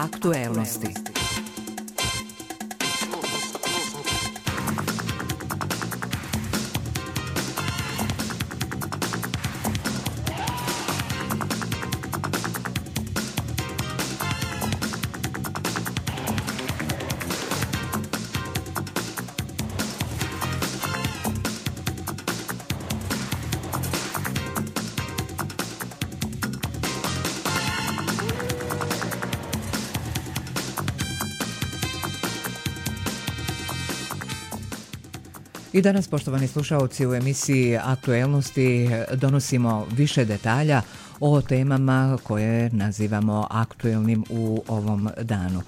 Aktuelnosti. I danas, poštovani slušaoci, u emisiji Aktuelnosti donosimo više detalja o temama koje nazivamo aktuelnim u ovom danu.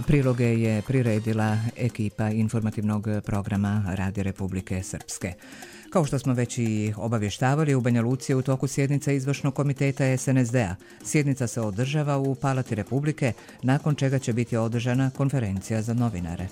Priloge je priredila ekipa informativnog programa Radija Republike Srpske. Kao što smo već i obavještavali, u Banja Luci je u toku sjednica izvršnog komiteta SNSD-a. Sjednica se održava u Palati Republike, nakon čega će biti održana konferencija za novinare.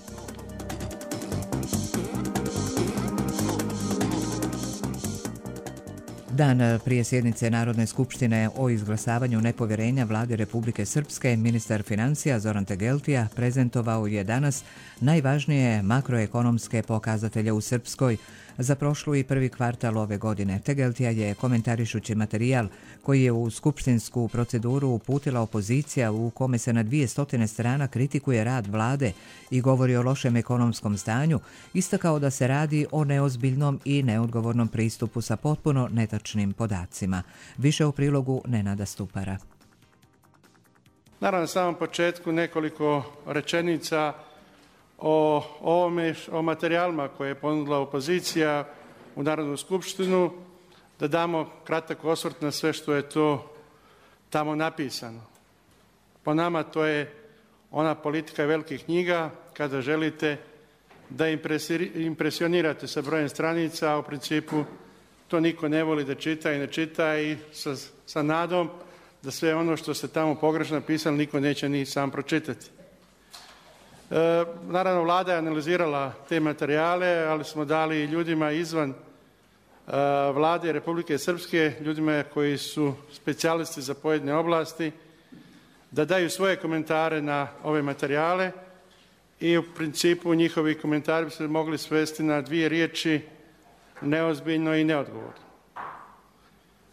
Dan prije sjednice Narodne skupštine o izglasavanju nepovjerenja vladi Republike Srpske, ministar financija Zoran Tegeltija prezentovao je danas najvažnije makroekonomske pokazatelje u Srpskoj za prošlu i prvi kvartal ove godine. Tegeltija je, komentarišući materijal koji je u skupštinsku proceduru uputila opozicija, u kome se na 200 strana kritikuje rad vlade i govori o lošem ekonomskom stanju, istakao da se radi o neozbiljnom i neodgovornom pristupu sa potpuno netačnim podacima. Više u prilogu Nenada Stupara. Naravno, na samom početku nekoliko rečenica o ovome, o materijalima koje je ponudila opozicija u Narodnu skupštinu, da damo kratak osvrt na sve što je to tamo napisano. Po nama to je ona politika velikih knjiga, kada želite da impresionirate sa brojem stranica, a u principu to niko ne voli da čita i ne čita, i sa nadom da sve ono što se tamo pogrešno napisalo niko neće ni sam pročitati. Naravno, vlada je analizirala te materijale, ali smo dali ljudima izvan vlade Republike Srpske, ljudima koji su specijalisti za pojedine oblasti, da daju svoje komentare na ove materijale, i u principu njihovi komentari bi se mogli svesti na dvije riječi: neozbiljno i neodgovorno.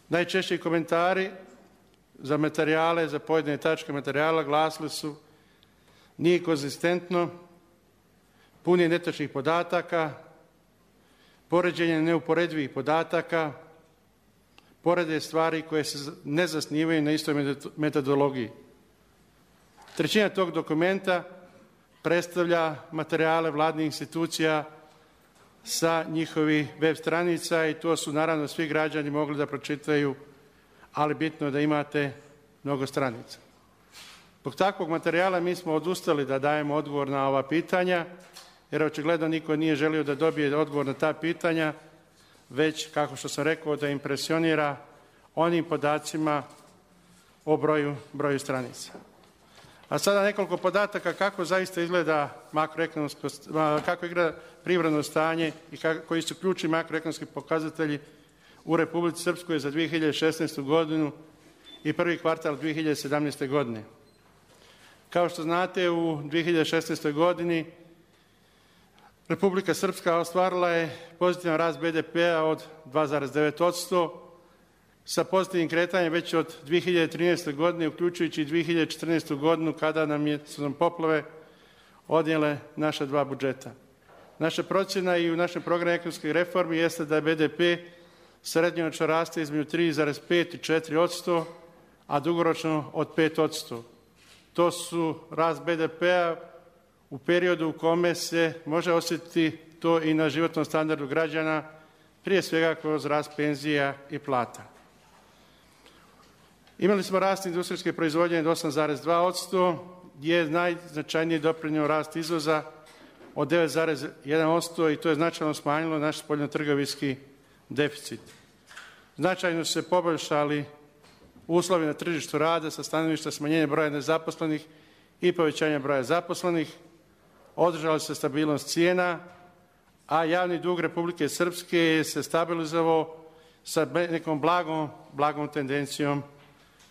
Najčešći komentari za materijale, za pojedine tačke materijala glasili su: nije konzistentno, pun je netačnih podataka, poređenje neuporedivih podataka, porede stvari koje se ne zasnivaju na istoj metodologiji. Trećina tog dokumenta predstavlja materijale vladnih institucija sa njihovih web stranica, i to su naravno svi građani mogli da pročitaju, ali bitno je da imate mnogo stranica. Zbog takvog materijala mi smo odustali da dajemo odgovor na ova pitanja, jer očigledno niko nije želio da dobije odgovor na ta pitanja, već, kako što sam rekao, da impresionira onim podacima o broju stranica. A sada nekoliko podataka kako zaista izgleda kako izgleda privredno stanje i koji su ključni makroekonomski pokazatelji u Republici Srpskoj za 2016. godinu i prvi kvartal 2017. godine. Kao što znate, u 2016. godini Republika Srpska ostvarila je pozitivan rast BDP-a od 2,9%, sa pozitivnim kretanjem već od 2013. godine, uključujući i 2014. godinu, kada su nam poplave odnijele naša dva budžeta. Naša procjena i u našem programu ekonomskih reformi jeste da je BDP srednjoročno raste između 3,5 i 4%, a dugoročno od 5%. To su rast BDP-a u periodu u kome se može osjetiti to i na životnom standardu građana, prije svega kroz rast penzija i plata. Imali smo rast industrijske proizvodnje od 8,2%, je najznačajniji doprinio rast izvoza od 9,1%, i to je značajno smanjilo naš spoljnotrgovinski deficit. Značajno su se poboljšali uslovi na tržištu rada sa stanovišta smanjenja broja nezaposlenih i povećanja broja zaposlenih, održala se stabilnost cijena, a javni dug Republike Srpske je se stabilizovao sa nekom blagom tendencijom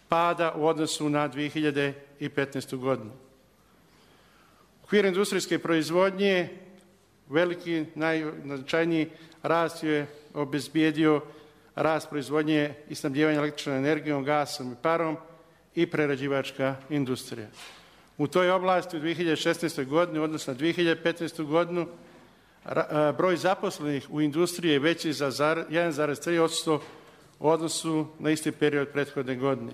pada u odnosu na 2015. godinu. U okviru industrijske proizvodnje veliki, najznačajniji rast je obezbijedio rast proizvodnje i snabdijevanja električnom energijom, gasom i parom i prerađivačka industrija. U toj oblasti u 2016. godini, odnosno na 2015. godinu, broj zaposlenih u industriji je veći za 1,3% u odnosu na isti period prethodne godine.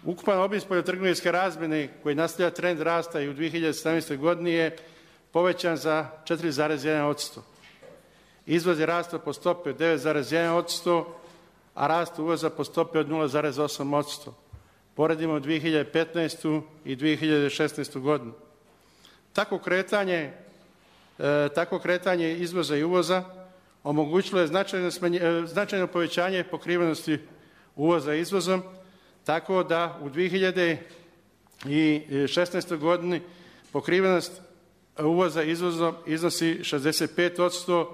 Ukupan obim spoljnotrgovinske razmjene koji nastavlja trend rasta i u 2017. godini je povećan za 4,1%. Izvoz je rastao po stopi od 9,1%, a rast uvoza po stopi od 0,8%. Poredimo 2015. i 2016. godinu. Tako kretanje izvoza i uvoza omogućilo je značajno povećanje pokrivenosti uvoza izvozom, tako da u 2016. godini pokrivenost uvoza izvozom iznosi 65%,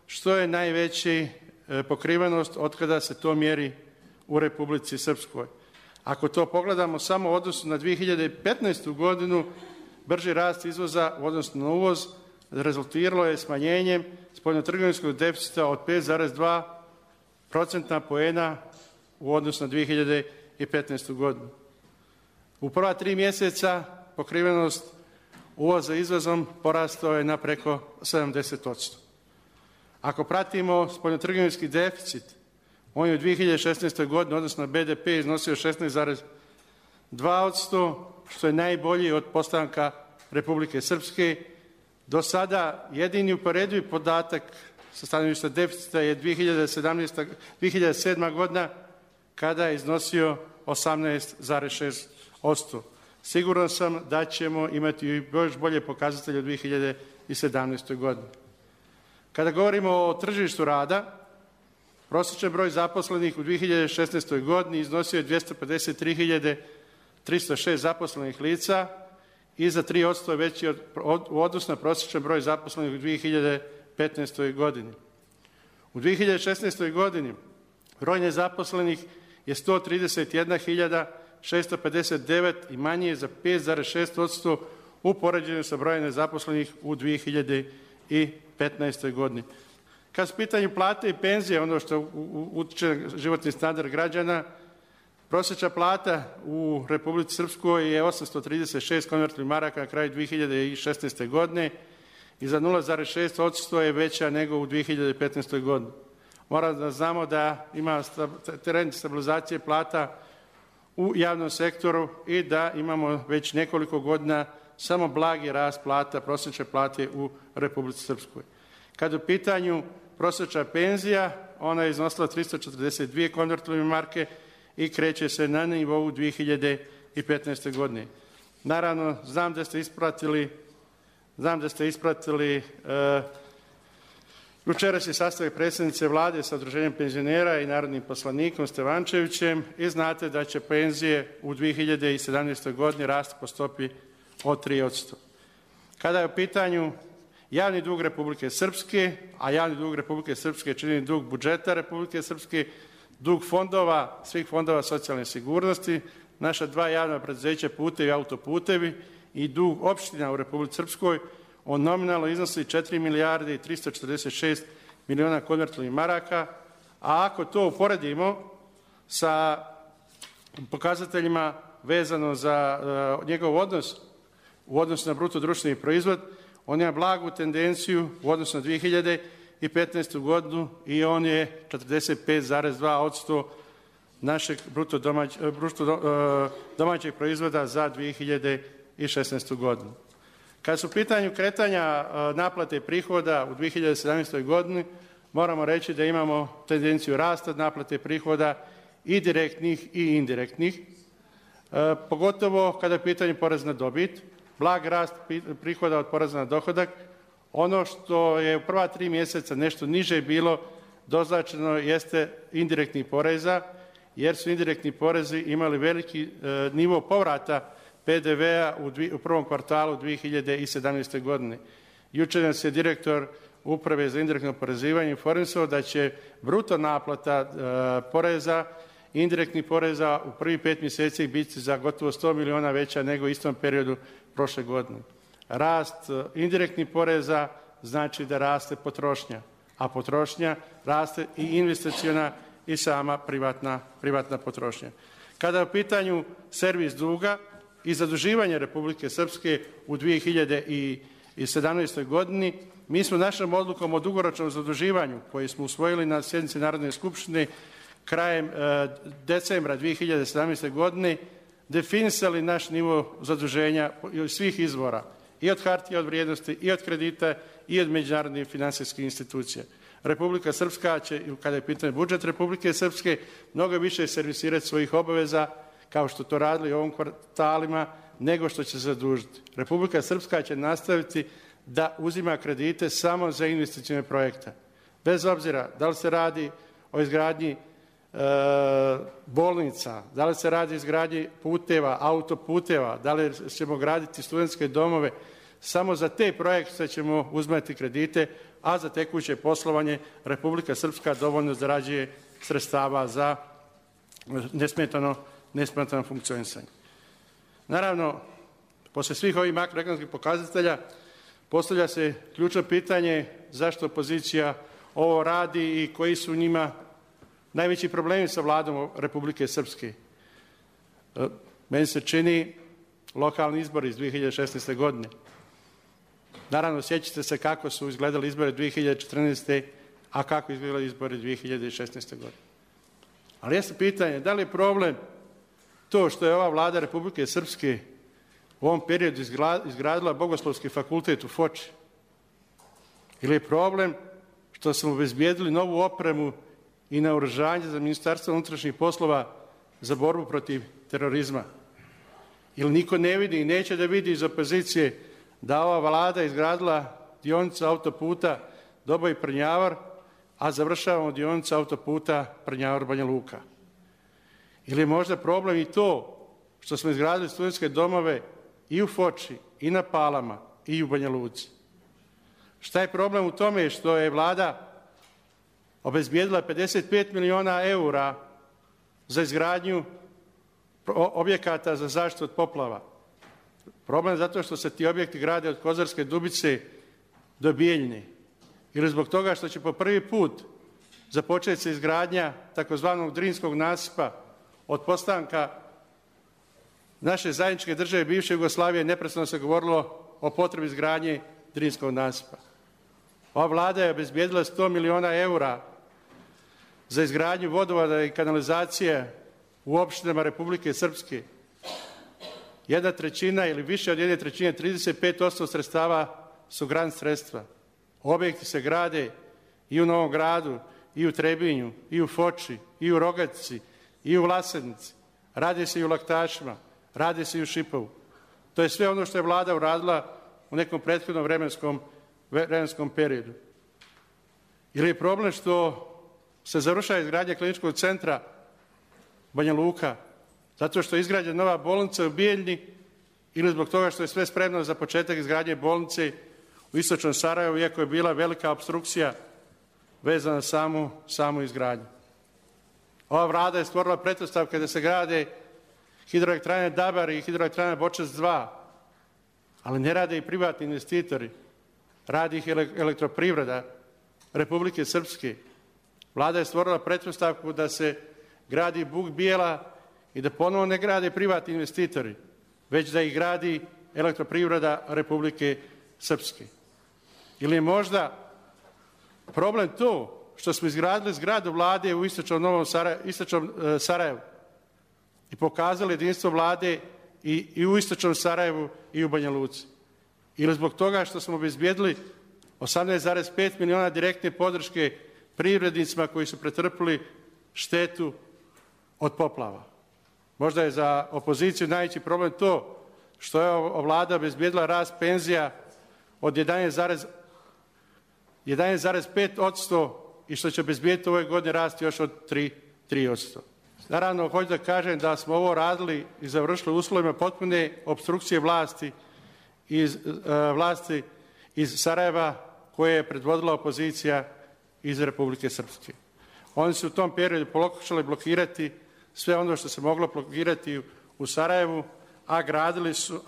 što je najveća pokrivenost od kada se to mjeri u Republici Srpskoj. Ako to pogledamo samo u odnosu na 2015. godinu, brži rast izvoza u odnosu na uvoz rezultiralo je smanjenjem spoljnotrgovinskog deficita od 5,2% poena u odnosu na 2015. godinu. U prva 3 mjeseca pokrivenost uvoza izvozom porastao je na preko 70%. Ako pratimo spoljnotrgovinski deficit, on je u 2016. godini odnosno na BDP iznosio 16,2%, što je najbolji od postanka Republike Srpske. Do sada jedini uporedivi podatak sa stanovišta deficita je 2007. godina kada je iznosio 18,6%. Siguran sam da ćemo imati još bolje pokazatelje u 2017. godini. Kada govorimo o tržištu rada, prosječan broj zaposlenih u 2016. godini iznosio je 253.306 zaposlenih lica i za 3% veći u odnosu na prosječan broj zaposlenih u 2015. godini. U 2016. godini broj nezaposlenih je 131.659 i manji je za 5,6% u poređenju sa brojem nezaposlenih u 2015. godini. Kad su pitanju plate i penzije, ono što utiče na životni standard građana, prosječna plata u Republici Srpskoj je 836 konvertibilnih maraka na kraju 2016. godine i za 0,6% je veća nego u 2015. godini. Moramo da znamo da ima trend stabilizacije plata u javnom sektoru i da imamo već nekoliko godina samo blagi rast plata, prosječne plate u Republici Srpskoj. Kad u pitanju prosječna penzija, ona je iznosila 342 konvertibilne marke i kreće se na nivou 2015. godine. Naravno, znam da ste ispratili jučerašnji sastanak predsjednice vlade sa udruženjem penzionera i narodnim poslanikom Stevančevićem i znate da će penzije u 2017. godini rasti po stopi od 3%. Kada je u pitanju javni dug Republike Srpske, a javni dug Republike Srpske čini dug budžeta Republike Srpske, dug fondova, svih fondova socijalne sigurnosti, naša dva javna preduzeća putevi i autoputevi i dug opština u Republici Srpskoj, on nominalno iznosi 4 milijarde i 346 miliona konvertibilnih maraka, a ako to uporedimo sa pokazateljima vezano za njegov odnos u odnosu na bruto društveni proizvod, on ima blagu tendenciju u odnosu na 2015. godinu i on je 45,2% našeg bruto domaćeg proizvoda za 2016. godinu. Kad su u pitanju kretanja naplate prihoda u 2017. godini, moramo reći da imamo tendenciju rasta naplate prihoda i direktnih i indirektnih, pogotovo kada je pitanje poreza na dobit, blag rast prihoda od poreza na dohodak. Ono što je u prva 3 mjeseca nešto niže bilo doznačeno jeste indirektnih poreza, jer su indirektni porezi imali veliki nivo povrata PDV-a u prvom kvartalu 2017. godine. Jučer nas je direktor Uprave za indirektno oporezivanje informisao da će bruto naplata poreza indirektnih poreza u prvih 5 mjeseci biti za gotovo 100 miliona veća nego u istom periodu prošle godine. Rast indirektnih poreza znači da raste potrošnja, a potrošnja raste i investiciona i sama privatna potrošnja. Kada je u pitanju servis duga i zaduživanje Republike Srpske u 2017. godini, mi smo našom odlukom o dugoročnom zaduživanju koju smo usvojili na sjednici Narodne skupštine krajem decembra 2017. godine definisali naš nivo zaduženja iz svih izvora, i od hartija od vrijednosti, i od kredita, i od međunarodnih finansijskih institucija. Republika Srpska će, kada je pitanje budžet Republike Srpske, mnogo više servisirati svojih obaveza, kao što to radili u ovom kvartalima, nego što će zadužiti. Republika Srpska će nastaviti da uzima kredite samo za investicione projekte. Bez obzira da li se radi o izgradnji bolnica, da li se radi o izgradnji puteva, autoputeva, da li ćemo graditi studentske domove, samo za te projekte ćemo uzmati kredite, a za tekuće poslovanje Republika Srpska dovoljno zarađuje sredstava za nesmetano funkcionisanje. Naravno, posle svih ovih makroekonomskih pokazatelja postavlja se ključno pitanje zašto opozicija ovo radi i koji su njima najveći problemi sa vladom Republike Srpske. Meni se čini lokalni izbori iz 2016. godine. Naravno, sjećate se kako su izgledali izbori 2014. a kako izgledali izbori 2016. godine. Ali jeste pitanje, da li je problem to što je ova vlada Republike Srpske u ovom periodu izgradila Bogoslovski fakultet u Foči? Ili je problem što smo obezbijedili novu opremu i naoružanje za Ministarstvo unutrašnjih poslova za borbu protiv terorizma? Ili niko ne vidi i neće da vidi iz opozicije da ova vlada izgradila dionicu autoputa Doboj-Prnjavar, a završavamo dionicu autoputa Prnjavar-Banja Luka? Ili je možda problem i to što smo izgradili studentske domove i u Foči, i na Palama, i u Banja Luci? Šta je problem u tome što je vlada obezbijedila 55 miliona eura za izgradnju objekata za zaštitu od poplava? Problem je zato što se ti objekti grade od Kozarske Dubice do Bijeljine. Ili zbog toga što će po prvi put započeti se izgradnja takozvanog Drinskog nasipa od postanka naše zajedničke države bivše Jugoslavije. Neprestano se govorilo o potrebi izgradnje Drinskog nasipa. Ova vlada je obezbijedila 100 miliona eura za izgradnju vodovoda i kanalizacije u opštinama Republike Srpske. 1/3 ili više od 1/3, 35% sredstava su grant sredstva. Objekti se grade i u Novom Gradu, i u Trebinju, i u Foči, i u Rogatici, i u Vlasednici. Radi se i u Laktašima, radi se i u Šipovu. To je sve ono što je vlada uradila u nekom prethodnom vremenskom periodu. Ili je problem što se završava izgradnja kliničkog centra Banja Luka, zato što je izgrađena nova bolnica u Bijeljni, ili zbog toga što je sve spremno za početak izgradnje bolnice u istočnom Sarajevu, iako je bila velika opstrukcija vezana na samu izgradnju. Ova vlada je stvorila pretpostavke da se grade hidroelektrane Dabar i hidroelektrane Bočac 2, ali ne rade i privatni investitori. Radi ih Elektroprivreda Republike Srpske. Vlada je stvorila pretpostavku da se gradi Buk Bijela i da ponovo ne grade privatni investitori, već da ih gradi Elektroprivreda Republike Srpske. Ili je možda problem to što smo izgradili zgradu vlade u istočnom Sarajevu i pokazali jedinstvo vlade i u istočnom Sarajevu i u Banja Luci? Ili zbog toga što smo obezbijedili 18,5 miliona direktne podrške privrednicima koji su pretrpili štetu od poplava? Možda je za opoziciju najveći problem to što je vlada obezbijedila rast penzija od 11,5% i što će obezbijediti ove godine rasti još od 3%. Naravno, hoću da kažem da smo ovo radili i završili uslovima potpune opstrukcije vlasti iz Sarajeva, koje je predvodila opozicija iz Republike Srpske. Oni su u tom periodu pokušali blokirati sve ono što se moglo blokirati u Sarajevu, a gradili su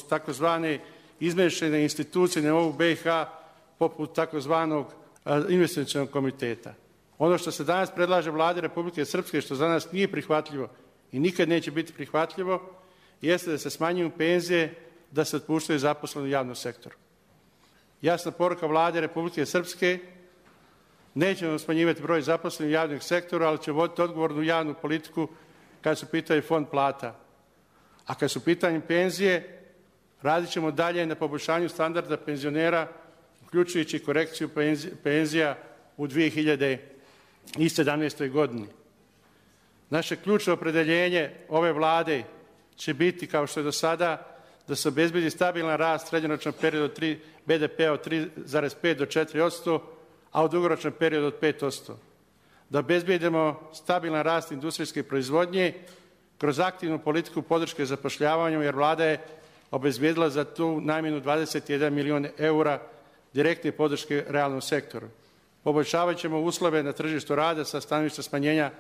takozvane izmještene institucije na nivou BiH poput takozvanog investicionog komiteta. Ono što se danas predlaže Vladi Republike Srpske, što za nas nije prihvatljivo i nikad neće biti prihvatljivo, jeste da se smanjuju penzije, da se otpuštaju zaposleni u javnom sektoru. Jasna poruka Vlade Republike Srpske, nećemo smanjivati broj zaposlenih u javnom sektoru, ali će voditi odgovornu javnu politiku kad su pitanje fond plata. A kad su pitanje penzije, radit ćemo dalje na poboljšanju standarda penzionera, uključujući korekciju penzija u 2017. godini. Naše ključno opredeljenje ove Vlade će biti, kao što je do sada, da se obezbedi stabilan rast srednjoročnog perioda BDP-a od 3,5 do 4%, a u dugoročnom periodu od 5%. Da obezbedimo stabilan rast industrijske proizvodnje kroz aktivnu politiku podrške zapošljavanju, jer Vlada je obezbedila za tu namjenu 21 milion eura direktne podrške realnom sektoru. Poboljšavat ćemo uslove na tržištu rada sa stanovišta smanjenja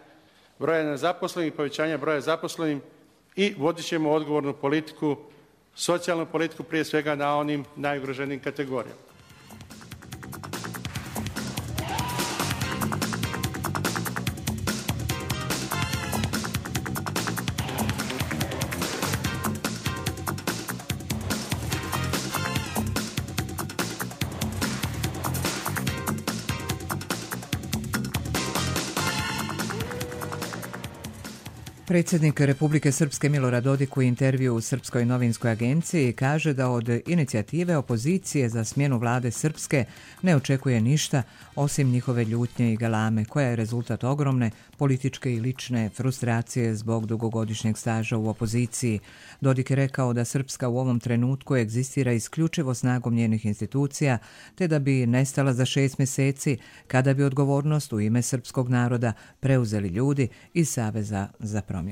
broja nezaposlenih, povećanja broja zaposlenih i vodit ćemo odgovornu politiku, socijalnu politiku prije svega na onim najugroženijim kategorijama. Predsjednik Republike Srpske Milorad Dodik u intervju u Srpskoj novinskoj agenciji kaže da od inicijative opozicije za smjenu vlade Srpske ne očekuje ništa osim njihove ljutnje i galame, koja je rezultat ogromne političke i lične frustracije zbog dugogodišnjeg staža u opoziciji. Dodik je rekao da Srpska u ovom trenutku egzistira isključivo snagom njenih institucija, te da bi nestala za 6 mjeseci kada bi odgovornost u ime srpskog naroda preuzeli ljudi iz Saveza za promjene.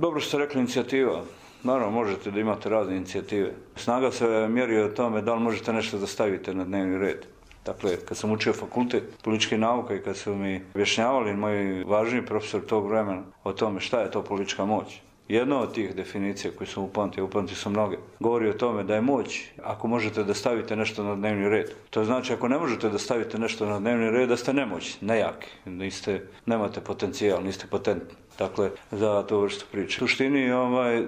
Dobro što ste rekli inicijativa. Naravno, možete da imate razne inicijative. Snaga se mjeri o tome da li možete nešto da stavite na dnevni red. Dakle, kad sam učio fakultet političke nauke i kad su mi objašnjavali moji važniji profesor tog vremena o tome šta je to politička moć, jedna od tih definicija koje sam upamtio sam mnoge, govori o tome da je moć ako možete da stavite nešto na dnevni red. To znači ako ne možete da stavite nešto na dnevni red, da ste nemoćni, nejaki, nemate potencijal, niste potentni. Dakle, za tu vrstu priče. U suštini,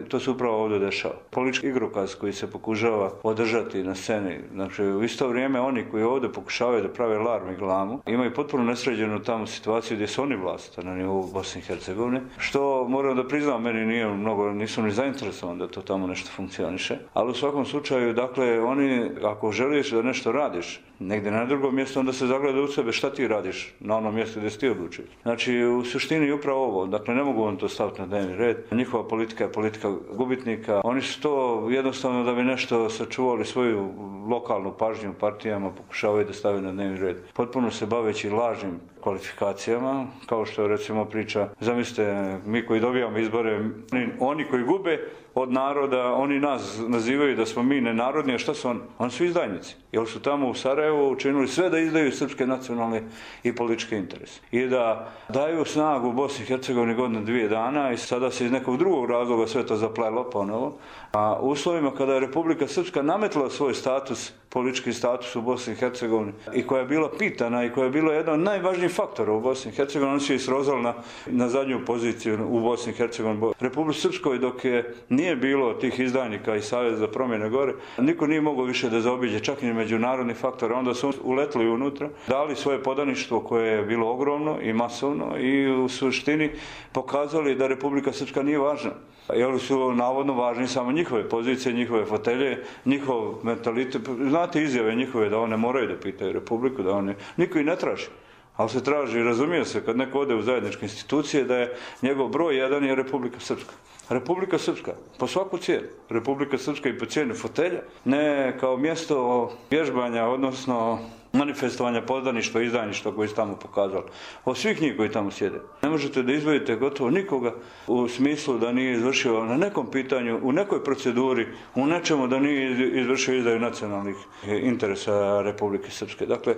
to se upravo ovdje dešava. Politički igrokaz koji se pokušava održati na sceni, znači u isto vrijeme oni koji ovdje pokušavaju da prave larm i glamu, imaju potpuno nesređenu tamo situaciju gdje su oni vlast na nivou Bosne i Hercegovine, što moram da priznam, meni nisam ni zainteresovan da to tamo nešto funkcioniše, ali u svakom slučaju, dakle, oni, ako želiš da nešto radiš, negdje na drugom mjestu, onda se zagleda u sebe šta ti radiš na onom mjestu gdje si ti odlučuješ. Znači, u suštini upravo ovo, dakle, ne mogu vam to staviti na dnevni red. Njihova politika je politika gubitnika. Oni su to jednostavno da bi nešto sačuvali svoju lokalnu pažnju u partijama, pokušavaju da stave na dnevni red. Potpuno se baveći lažnim kvalifikacijama, kao što recimo priča, zamislite, mi koji dobijamo izbore, oni koji gube od naroda, oni nas nazivaju da smo mi nenarodni, a šta su oni? Oni su izdajnici. Jer su tamo u Sarajevu učinili sve da izdaju srpske nacionalne i političke interese. I da daju snagu Bosni i Hercegovini godinu 2 dana i sada se iz nekog drugog razloga sve to zaplelo ponovo. A u uslovima kada je Republika Srpska nametla svoj status, politički status u Bosni i Hercegovini i koja je bila pitana i koja je bila jedan od najvažnijih faktora u Bosni i Hercegovini, oni su je srozali na zadnju poziciju u Bosni i Hercegovini. Republika Srpskoj dok nije bilo tih izdajnika i Saveza za promjene gore, niko nije mogao više da zaobiđe čak i međunarodni faktor, onda su uletli unutra, dali svoje podaništvo koje je bilo ogromno i masovno i u suštini pokazali da Republika Srpska nije važna. Jer su navodno važni samo njihove pozicije, njihove fotelje, njihov mentalitet. Znate izjave njihove da one moraju da pitaju Republiku, da one niko i ne traži. Ali se traži, razumije se, kad neko ode u zajedničke institucije, da je njegov broj 1 je Republika Srpska. Republika Srpska, po svaku cijenu. Republika Srpska i po cijenu fotelja, ne kao mjesto vježbanja, odnosno manifestovanja podaništva i izdajništva koji su tamo pokazali. Od svih njih koji tamo sjede. Ne možete da izdvojite gotovo nikoga u smislu da nije izvršio na nekom pitanju, u nekoj proceduri, u nečemu da nije izvršio izdaju nacionalnih interesa Republike Srpske. Dakle,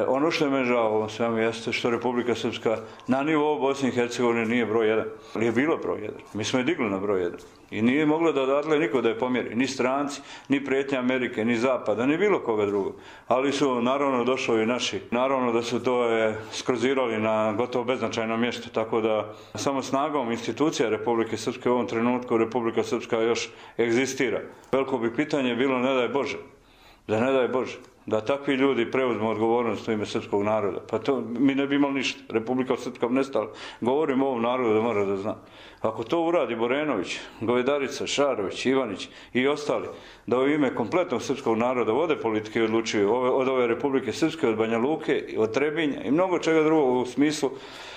ono što je me žao u ovom svemu jeste što Republika Srpska na nivou Bosne i Hercegovine nije broj 1. Ali je bilo broj 1. Mi smo je digli na broj 1. I nije moglo da odatle niko da je pomjeri. Ni stranci, ni prijetnje Amerike, ni Zapada, ni bilo koga drugog. Ali su naravno došli i naši. Naravno da su to skrozirali na gotovo beznačajno mjesto. Tako da samo snagom institucija Republike Srpske u ovom trenutku Republika Srpska još egzistira. Veliko bi pitanje bilo ne daj Bože. Da ne daj Bože. Da takvi ljudi preuzmu odgovornost u ime srpskog naroda. Pa to mi ne bi imali ništa. Republika Srpska bi nestala. Govorim ovom narodu da mora da zna. Ako to uradi Borenović, Govedarica, Šarović, Ivanić i ostali, da u ime kompletnog srpskog naroda vode politike i odlučuju od ove Republike Srpske, od Banja Luke, od Trebinja i mnogo čega drugog u smislu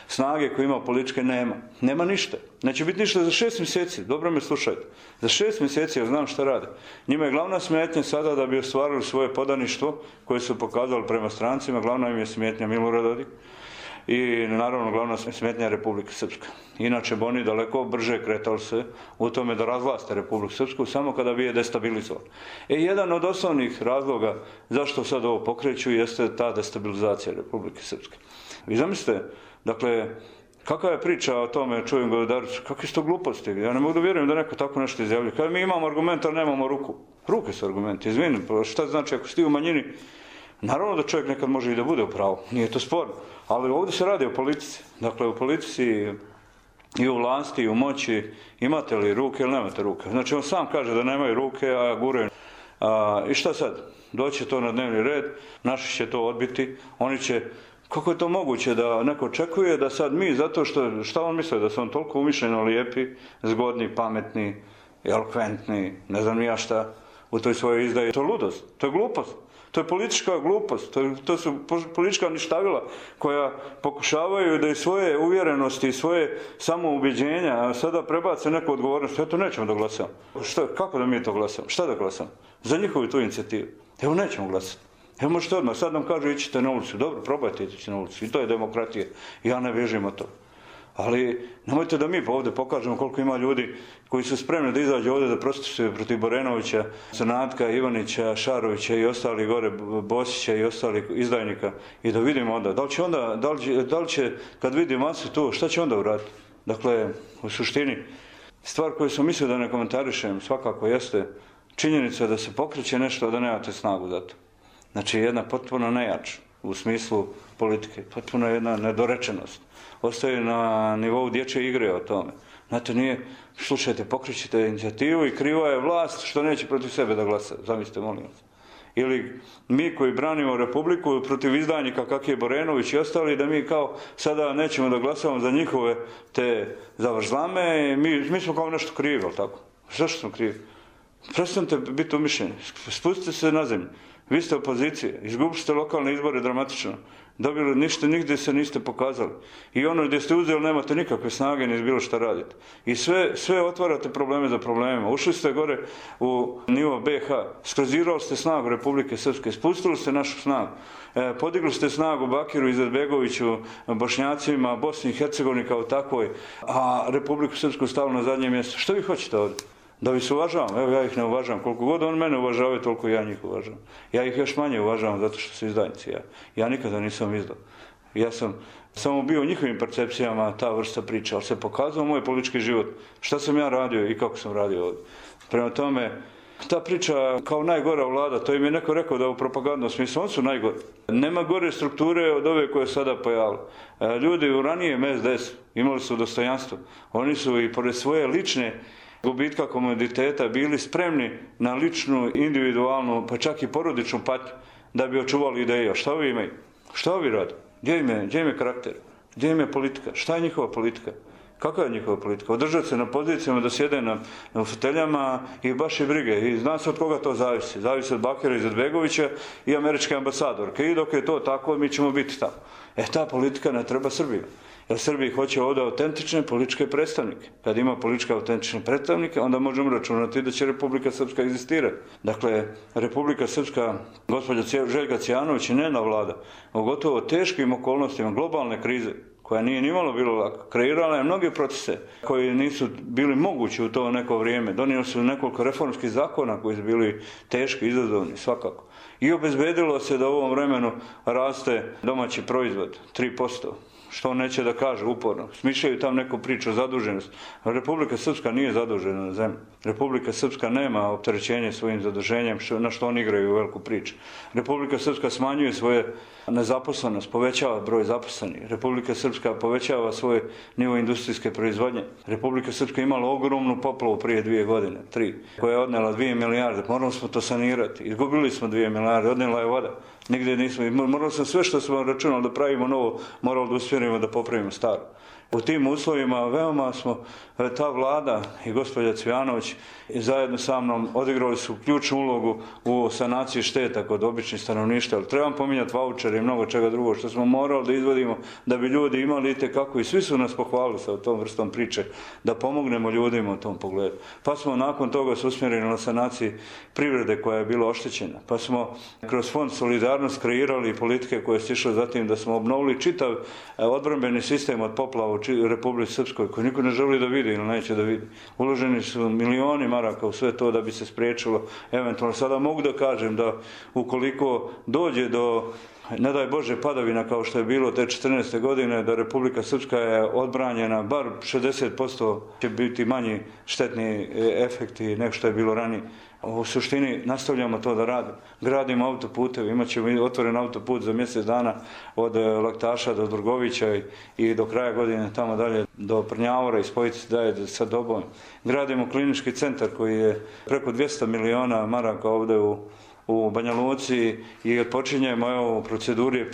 snage koju ima političke nema. Nema ništa. Neće biti ništa za 6 mjeseci. Dobro me slušajte. Za 6 mjeseci ja znam šta rade. Njima je glavna smetnja sada da bi ostvarili svoje podaništvo koje su pokazali prema strancima. Glavna im je smetnja Milorad Dodik i naravno glavna smetnja Republike Srpska. Inače bi oni daleko brže kretali se u tome da razvlaste Republiku Srpsku samo kada bi je destabilizovali. Jedan od osnovnih razloga zašto sad ovo pokreću jeste ta destabilizacija Republike Srpske. Vi zamislite, dakle, kakva je priča o tome, čujem Govedaricu, kakve su to gluposti? Ja ne mogu da vjerujem da neko tako nešto izjavlja. Kada mi imamo argument, ali nemamo ruku. Ruke su argumenti, izvini, šta znači ako si ti u manjini? Naravno da čovjek nekad može i da bude u pravu, nije to sporno. Ali ovdje se radi o politici. Dakle, u politici i u vlasti i u moći imate li ruke ili nemate ruke. Znači, on sam kaže da nemaju ruke, a guraju. I šta sad? Doće to na dnevni red, naši će to odbiti, oni će... Kako je to moguće da neko očekuje da sad mi, zato što, šta on misle, da su on toliko umišljeno lijepi, zgodni, pametni, elokventni, ne znam ja šta, u toj svojoj izdaji. To je ludost, to je glupost, to je politička glupost, to su politička ništavila koja pokušavaju da i svoje uvjerenosti i svoje samoubjeđenja sada prebace neku odgovornost. Eto, nećemo da glasamo. Kako da mi to glasamo? Šta da glasamo? Za njihovu tu inicijativu. Evo, nećemo glasati. Evo možete odmah, sad nam kažu ićite na ulicu. Dobro, probajte ići na ulicu. I to je demokratija. Ja ne bježim od toga. Ali nemojte da mi ovdje pokažemo koliko ima ljudi koji su spremni da izađu ovdje da protestuju protiv Borenovića, Zanatka, Ivanića, Šarovića i ostali gore, Bosića i ostalih izdajnika i da vidimo onda. Da li će kad vidi masu tu, šta će onda uraditi? Dakle, u suštini, stvar koju sam mislio da ne komentarišem svakako jeste činjenica da se pokreće nešto, a da nemate snagu za to. Znači, jedna potpuno nejač u smislu politike, potpuno jedna nedorečenost. Ostaje na nivou dječje igre o tome. Znate, nije, slušajte, pokrećite inicijativu i kriva je vlast što neće protiv sebe da glasa. Zamislite, molim vas. Ili mi koji branimo Republiku protiv izdajnika kak je Borenović i ostali, da mi kao sada nećemo da glasamo za njihove te zavrzlame, mi smo kao nešto krivi, ali tako? Zašto smo krivi? Prestanite biti umišljeni, spustite se na zemlju. Vi ste opozicije, izgubili ste lokalne izbore dramatično, dobili ništa, nigdje se niste pokazali. I ono gdje ste uzeli nemate nikakve snage ni bilo šta radite. I sve otvarate probleme za problemima. Ušli ste gore u nivo BiH, skrozirali ste snagu Republike Srpske, spustili ste našu snagu, podigli ste snagu Bakiru Izetbegoviću, Bošnjacima, Bosni i Hercegovini kao takvoj, a Republiku Srpsku stavili na zadnje mjesto. Što vi hoćete ovdje? Da vi se uvažavam, evo ja ih ne uvažavam. Koliko god on mene uvažavaju, toliko ja njih uvažavam. Ja ih još manje uvažavam zato što su izdajnici. Ja nikada nisam izdao. Ja sam samo bio u njihovim percepcijama ta vrsta priča, ali se pokazao moj politički život. Šta sam ja radio i kako sam radio ovdje. Prema tome, ta priča kao najgora vlada, to im je neko rekao da u propagandnom smislu, oni su najgori. Nema gore strukture od ove koje sada pojavile. Ljudi u ranijem SDS imali su dostojanstvo. Oni su i pored svoje lične gubitka komoditeta bili spremni na ličnu, individualnu, pa čak i porodičnu patnju da bi očuvali ideje. Šta ovi imaju? Šta ovi rade? Gdje im je karakter? Gdje im je politika? Šta je njihova politika? Kakva je njihova politika? Održati se na pozicijama, da sjede na foteljama i baš je brige. I zna se od koga to zavisi. Zavisi od Bakira Izetbegovića i američke ambasadorke. I dok je to tako, mi ćemo biti tamo. Ta politika ne treba Srbiji. Jer Srbiji hoće ovdje autentične političke predstavnike. Kad ima političke autentične predstavnike, onda možemo računati da će Republika Srpska egzistirati. Dakle, Republika Srpska, gospođa Željka Cijanović, njena vlada, u gotovo teškim okolnostima globalne krize, koja nije nimalo bilo lako, kreirala je mnoge procese koji nisu bili mogući u to neko vrijeme. Donijeli su nekoliko reformskih zakona koji su bili teški, izazovni svakako. I obezbedilo se da u ovom vremenu raste domaći proizvod 3%. Što neće da kaže uporno. Smišljaju tam neku priču o zaduženosti. Republika Srpska nije zadužena na zemlji. Republika Srpska nema opterećenje svojim zaduženjem, na što oni igraju veliku priču. Republika Srpska smanjuje svoje nezaposlenost, povećava broj zaposlenih. Republika Srpska povećava svoj nivo industrijske proizvodnje. Republika Srpska imala ogromnu poplavu prije 2 godine, 3, koja je odnela 2 milijarde. Morali smo to sanirati. Izgubili smo 2 milijarde, odnela je voda. Nigdje nismo. Morali smo sve što smo računali da pravimo novo, morali da usmjerimo da popravimo staro. U tim uslovima veoma smo, ta vlada i gospođa Cvijanović i zajedno sa mnom odigrali su ključnu ulogu u sanaciji šteta kod običnih stanovništva. Ali trebam pominjati vaučere i mnogo čega drugog što smo morali da izvodimo da bi ljudi imali itekako i svi su nas pohvalili sa tom vrstom priče da pomognemo ljudima u tom pogledu. Pa smo nakon toga se usmjerili na sanaciji privrede koja je bila oštećena. Pa smo kroz Fond Solidarnost kreirali politike koje su išle zatim da smo obnovili čitav odbrambeni sistem od poplava u Republici Srpskoj koji niko ne želi da vidi ili neće da vidi. Uloženi su milioni maraka u sve to da bi se spriječilo eventualno. Sada mogu da kažem da ukoliko dođe do, ne daj Bože, padavina kao što je bilo te 14. godine, da Republika Srpska je odbranjena, bar 60% će biti manji štetni efekti nego što je bilo ranije. U suštini nastavljamo to da radimo. Gradimo autoputeve, imat ćemo otvoren autoput za mjesec dana od Laktaša do Drgovića i do kraja godine tamo dalje do Prnjavora i spojiti se dalje sa Dobom. Gradimo klinički centar koji je preko 200 miliona maraka ovdje u Banja Luci i počinjemo u proceduri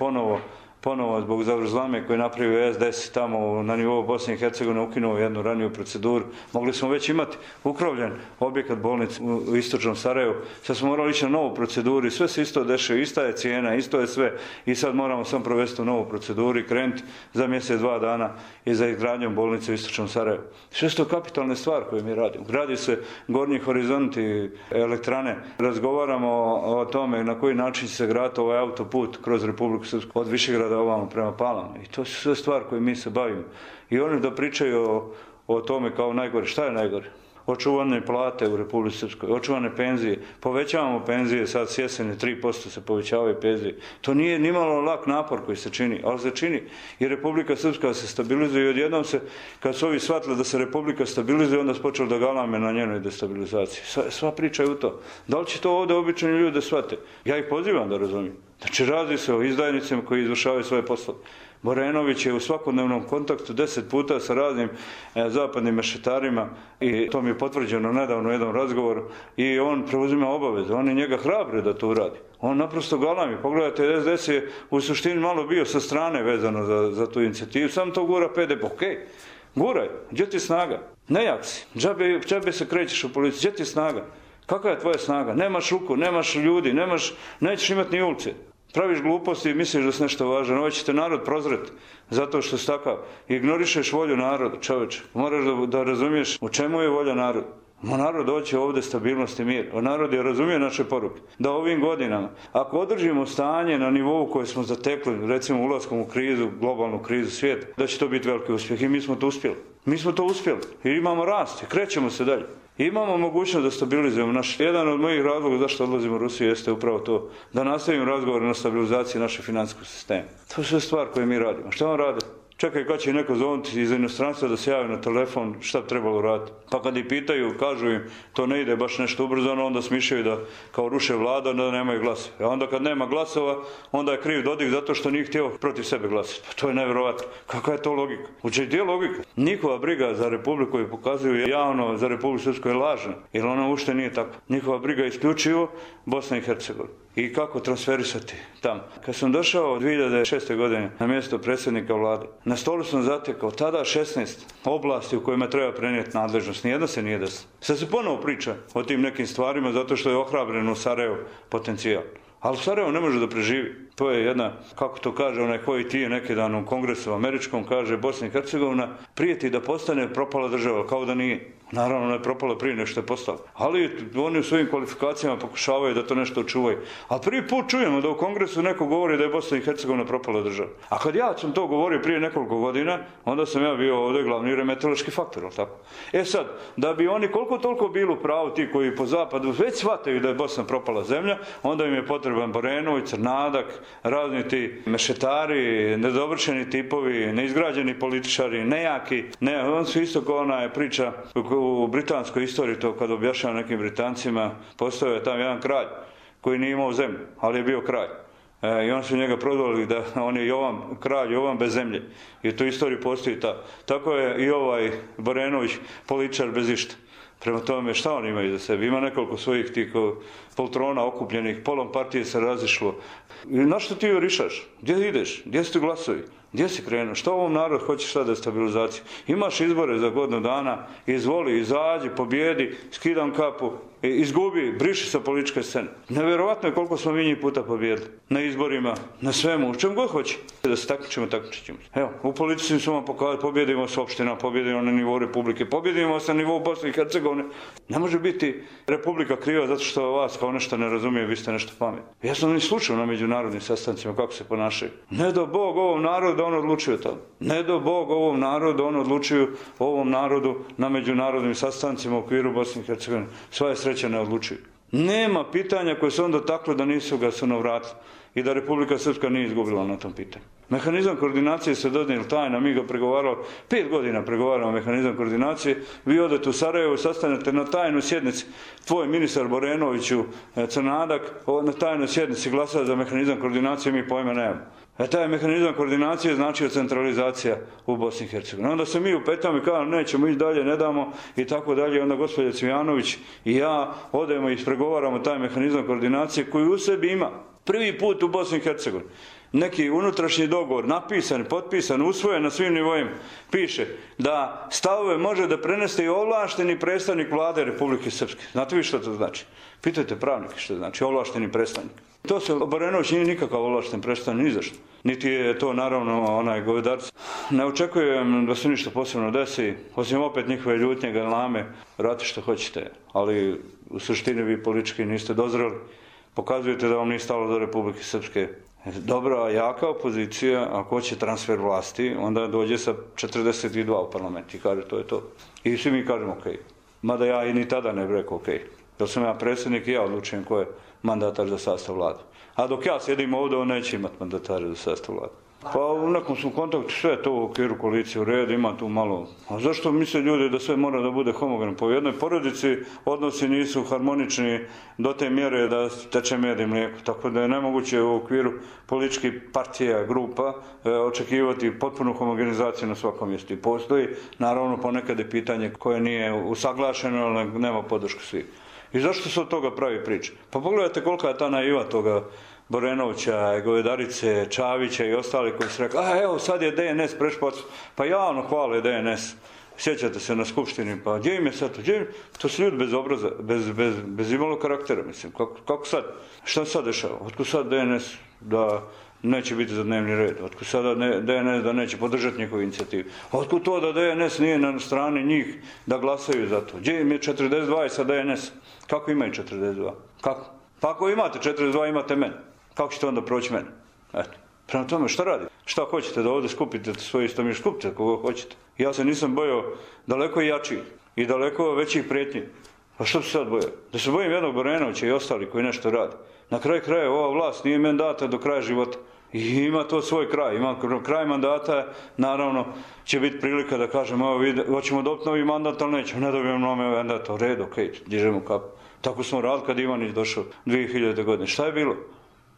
ponovo zbog zavrzlame koje je napravio SDS tamo na nivou Bosne i Hercegovine ukinuo jednu raniju proceduru. Mogli smo već imati ukrovljen objekat bolnice u istočnom Sarajevu. Sad smo morali ići na novu proceduru i sve se isto dešava, ista je cijena, isto je sve i sad moramo samo provesti u novu proceduru i krenuti za mjesec, 2 dana i za izgradnjom bolnice u istočnom Sarajevu. Sve su to kapitalne stvari koje mi radimo. Gradi se Gornji horizonti elektrane. Razgovaramo o tome na koji način će se graditi ovaj autoput kroz Republiku Srpsku od Višegrada ovamo prema Palama. I to su sve stvari koje mi se bavimo. I oni da pričaju o tome kao najgore. Šta je najgore? Očuvane plate u Republici Srpskoj, očuvane penzije. Povećavamo penzije, sad s jesene 3% se povećavaju penzije. To nije nimalo lak napor koji se čini, ali se čini. I Republika Srpska se stabilizuje i odjednom se, kad su ovi shvatili da se Republika stabilizuje, onda se počelo da galame na njenoj destabilizaciji. Sva priča je u to. Da li će to ovdje obični ljudi da shvate? Ja ih pozivam da razumijem. Znači, radi se o izdajnicima koji izvršavaju svoje poslove. Borenović je u svakodnevnom kontaktu 10 puta sa raznim zapadnim mešetarima i to mi je potvrđeno nedavno u jednom razgovoru i on preuzima obaveze. Oni njega hrabre da to uradi. On naprosto galami. Pogledajte, SDS je u suštini malo bio sa strane vezano za tu inicijativu. Sam to gura PDP. Okej, guraj. Gdje ti snaga? Nejak si. Džabe se krećeš u policiju. Gdje ti snaga? Kakva je tvoja snaga? Nemaš ruku, nemaš ljudi, nećeš imati ni ulice. Praviš gluposti i misliš da si nešto važan. Ovo će te narod prozreti zato što si takav. Ignorišeš volju naroda, čovječe. Moraš da razumiješ u čemu je volja naroda. Narod hoće ovdje stabilnost i mir. Narod je razumio naše poruke. Da ovim godinama, ako održimo stanje na nivou koje smo zatekli, recimo ulaskom u krizu, globalnu krizu svijeta, da će to biti veliki uspjeh. I mi smo to uspjeli. Mi smo to uspjeli. I imamo rast. I krećemo se dalje. Imamo mogućnost da stabilizujemo jedan od mojih razloga zašto odlazimo u Rusiju jeste upravo to, da nastavimo razgovor na stabilizaciji našeg financijskog sistema. To je sve stvar koje mi radimo. Šta on radi? Čekaj kad će neko zovnuti iz inostranstva da se javi na telefon šta bi trebalo raditi. Pa kad ih pitaju, kažu im to ne ide baš nešto ubrzano, onda smišljaju da kao ruše vlada, da nemaju glasova. A onda kad nema glasova, onda je kriv Dodik zato što nije htio protiv sebe glasiti. Pa to je nevjerovatno. Kakva je to logika? Gdje je logika? Njihova briga za Republiku koju pokazuju javno za Republiku Srpsku je lažna, jer ona uopšte nije tako. Njihova briga je isključivo Bosna i Hercegovina. I kako transferisati tamo. Kad sam došao 2006. godine na mjesto predsjednika vlade, na stolu sam zatekao tada 16 oblasti u kojima treba prenijeti nadležnost. Nijedna se nije desila. Sad se ponovo priča o tim nekim stvarima zato što je ohrabren u Sarajevu potencijal. Ali Sarajevo ne može da preživi. To je jedna, kako to kaže onaj koji ti je neki dan u kongresu američkom, kaže Bosna i Hercegovina prijeti da postane propala država, kao da nije. Naravno, ona je propala prije nego što je postala. Ali oni u svojim kvalifikacijama pokušavaju da to nešto očuvaju. A prvi put čujemo da u kongresu neko govori da je Bosna i Hercegovina propala država. A kad ja sam to govorio prije nekoliko godina, onda sam ja bio ovdje glavni remetološki faktor, tako? Sad, da bi oni koliko toliko bili u pravu ti koji po zapadu već shvataju da je Bosna propala zemlja, onda im je potreban Borenović, Crnadak, razni ti mešetari, nedovršeni tipovi, neizgrađeni političari, nejaki. On su isto kao ona priča u britanskoj istoriji, to kad objašnjava nekim Britancima, postojao je tam jedan kralj koji nije imao zemlju, ali je bio kralj. I on su njega prodali da on je kralj Jovan bez zemlje. I u toj istoriji postoji ta. Tako je i ovaj Borenović političar bez išta. Prema tome, šta oni imaju za sebe? Ima nekoliko svojih tih poltrona okupljenih, polom partije se razišlo. I na što ti joj rišaš? Gdje ideš? Gdje su ti glasovi? Gdje si krenuo? Što ovom narodu hoćeš šta destabilizaciju? Imaš izbore za godinu dana, izvoli, izađi, pobjedi, skidam kapu, izgubi, briši sa političke scene. Nevjerovatno je koliko smo mi njih puta pobjedili. Na izborima, na svemu, u čem god hoće. Da se takmičimo, takmičit ćemo. Evo, u politici smo vam pokazali, pobjedimo s opština, pobjedimo na nivou Republike, pobjedimo se na nivou Bosne i Hercegovine. Ne može biti Republika kriva zato što vas kao nešto ne razumije, vi ste nešto pametni. Ja sam ni slučao na međunarodnim sastancima kako se ponašaju. Ne do Bog ovom narodu da on odlučuje tamo. Ne do Bog ovom narodu da on odlučuju ovom narodu na međunarodnim sastancima u okviru Bosne i Hercegovine. Sva je sreća ne odlučuju. Nema pitanja koje su onda takle da nisu ga sunovratili i da Republika Srpska nije izgubila na tom pitanju. Mehanizam koordinacije se donijel tajna, mi ga pregovarali, 5 godina pregovaramo mehanizam koordinacije, vi odete u Sarajevo, sastanete na tajnoj sjednici, tvoj ministar Borenoviću, Crnadak, na tajnoj sjednici glasa za mehanizam koordinacije, mi pojma nemamo. Taj mehanizam koordinacije znači centralizacija u Bosni i Hercegovini. Onda se mi upetamo i kažemo nećemo ići dalje, ne damo i tako dalje. Onda gospođa Cvijanović i ja odemo i ispregovaramo taj mehanizam koordinacije koji u sebi ima prvi put u Bosni i Hercegovini neki unutrašnji dogovor, napisan, potpisan, usvojen na svim nivoima, piše da stavove može da prenese i ovlašteni predstavnik vlade Republike Srpske. Znate vi što to znači? Pitajte pravnike što znači ovlašteni predstavnik. To se Borenović nije nikakav ovlašten predstavnik, ni zašto. Niti je to naravno onaj govedarac. Ne očekujem da se ništa posebno desi, osim opet njihove ljutnje, galame, radite što hoćete, ali u suštini vi politički niste dozreli. Pokazujete da vam nije stalo do Republike Srpske. Dobra, jaka opozicija, ako hoće transfer vlasti, onda dođe sa 42 u parlament i kaže to je to. I svi mi kažemo okej. Mada ja i ni tada ne bih rekao okej. Jer sam ja predsjednik i ja odlučujem ko je mandatar za sastav vlade. A dok ja sjedim ovdje, on neće imati mandatare za sastav vlade. Pa u nekom smo kontaktu, sve to u okviru koalicije u redu, ima tu malo. A zašto misle ljudi da sve mora da bude homogeno? Po jednoj porodici odnosi nisu harmonični do te mjere da teče med i mlijeko. Tako da je nemoguće u okviru političkih partija, grupa očekivati potpunu homogenizaciju na svakom mjestu. I postoji, naravno, ponekad je pitanje koje nije usaglašeno, ali nema podršku svih. I zašto se od toga pravi priča? Pa pogledajte kolika je ta naiva toga Borenovića, Govedarice, Čavića i ostali koji su rekli, evo sad je DNS prešpac, pa javno hvale DNS. Sjećate se na skupštini, pa gdje im je sad to? To su ljudi bez obraza, bez imalo karaktera, mislim. Kako sad? Šta sad dešava? Otkud sad DNS da neće biti za dnevni red? Otkud sada DNS da neće podržati njihovu inicijativu? Otkud to da DNS nije na strani njih da glasaju za to? Gdje im je 42 i sa DNS? Kako imaju 42? Kako? Pa ako imate 42, imate mene. Kako ćete onda proći mene? Eto. Prema tome, šta radi? Šta hoćete da ovdje skupite svoje istomiš? Skupite koga hoćete. Ja se nisam bojao daleko jačih i daleko većih prijetnji. Pa što se sad bojao? Da se bojim jednog Borenovića i ostali koji nešto radi. Na kraju kraja ova vlast nije meni data do kraja života. I ima to svoj kraj. Ima kraj mandata, naravno, će biti prilika da kažemo, evo, hoćemo dobiti novi mandat, ali nećemo, ne dobijemo novi mandat. U redu, okej, dižemo kapu. Tako smo radili kad Ivanić došao 2000. godine. Šta je bilo?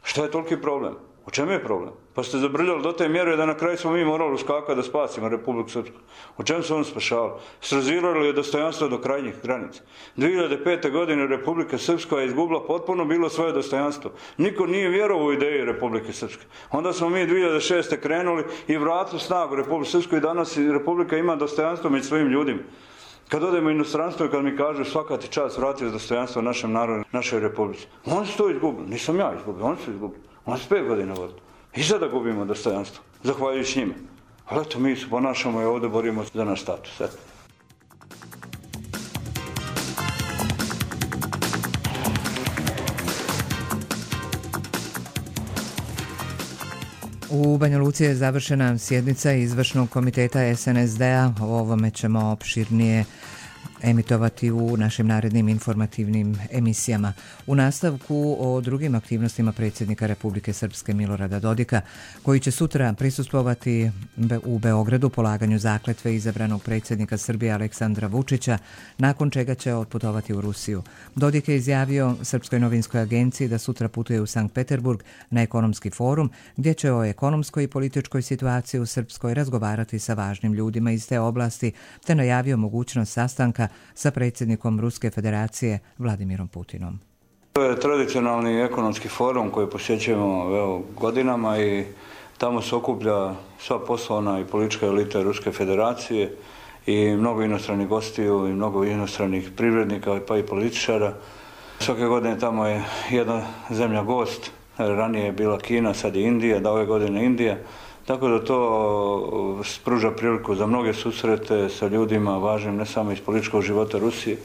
Šta je toliki problem? U čemu je problem? Pa ste zabrljali do te mjere da na kraju smo mi morali uskakati da spasimo Republiku Srpsku. U čemu su oni spašavali? Srazirali je dostojanstvo do krajnjih granica. 2005. godine Republika Srpska je izgubila potpuno bilo svoje dostojanstvo. Niko nije vjerovao u ideji Republike Srpske. Onda smo mi 2006. krenuli i vratili snagu Republike Srpske i danas Republika ima dostojanstvo među svojim ljudima. Kad odemo u inostranstvo i kad mi kažu svaka ti čast vratiti dostojanstvo našem narodu, našoj republici. Oni su to izgubili, nisam ja izgubio, oni su izgubili. Oni su 5 godina vodili. I sada gubimo dostojanstvo, zahvaljujući njima. Ali eto, mi se ponašamo i ovdje borimo za naš status. Eto. U Banja Luci je završena sjednica izvršnog komiteta SNSD-a. O ovome ćemo opširnije emitovati u našim narednim informativnim emisijama. U nastavku o drugim aktivnostima predsjednika Republike Srpske Milorada Dodika, koji će sutra prisustvovati u Beogradu polaganju zakletve izabranog predsjednika Srbije Aleksandra Vučića, nakon čega će otputovati u Rusiju. Dodik je izjavio Srpskoj novinskoj agenciji da sutra putuje u Sankt Peterburg na ekonomski forum, gdje će o ekonomskoj i političkoj situaciji u Srpskoj razgovarati sa važnim ljudima iz te oblasti, te najavio mogućnost sastanka sa predsjednikom Ruske federacije Vladimirom Putinom. To je tradicionalni ekonomski forum koji posjećujemo godinama i tamo se okuplja sva poslovna i politička elita Ruske federacije i mnogo inostranih gostiju i mnogo inostranih privrednika pa i političara. Svake godine tamo je jedna zemlja gost, ranije je bila Kina, sad je Indija, da ove godine Indija. Tako da to pruža priliku za mnoge susrete sa ljudima važnim ne samo iz političkog života Rusije,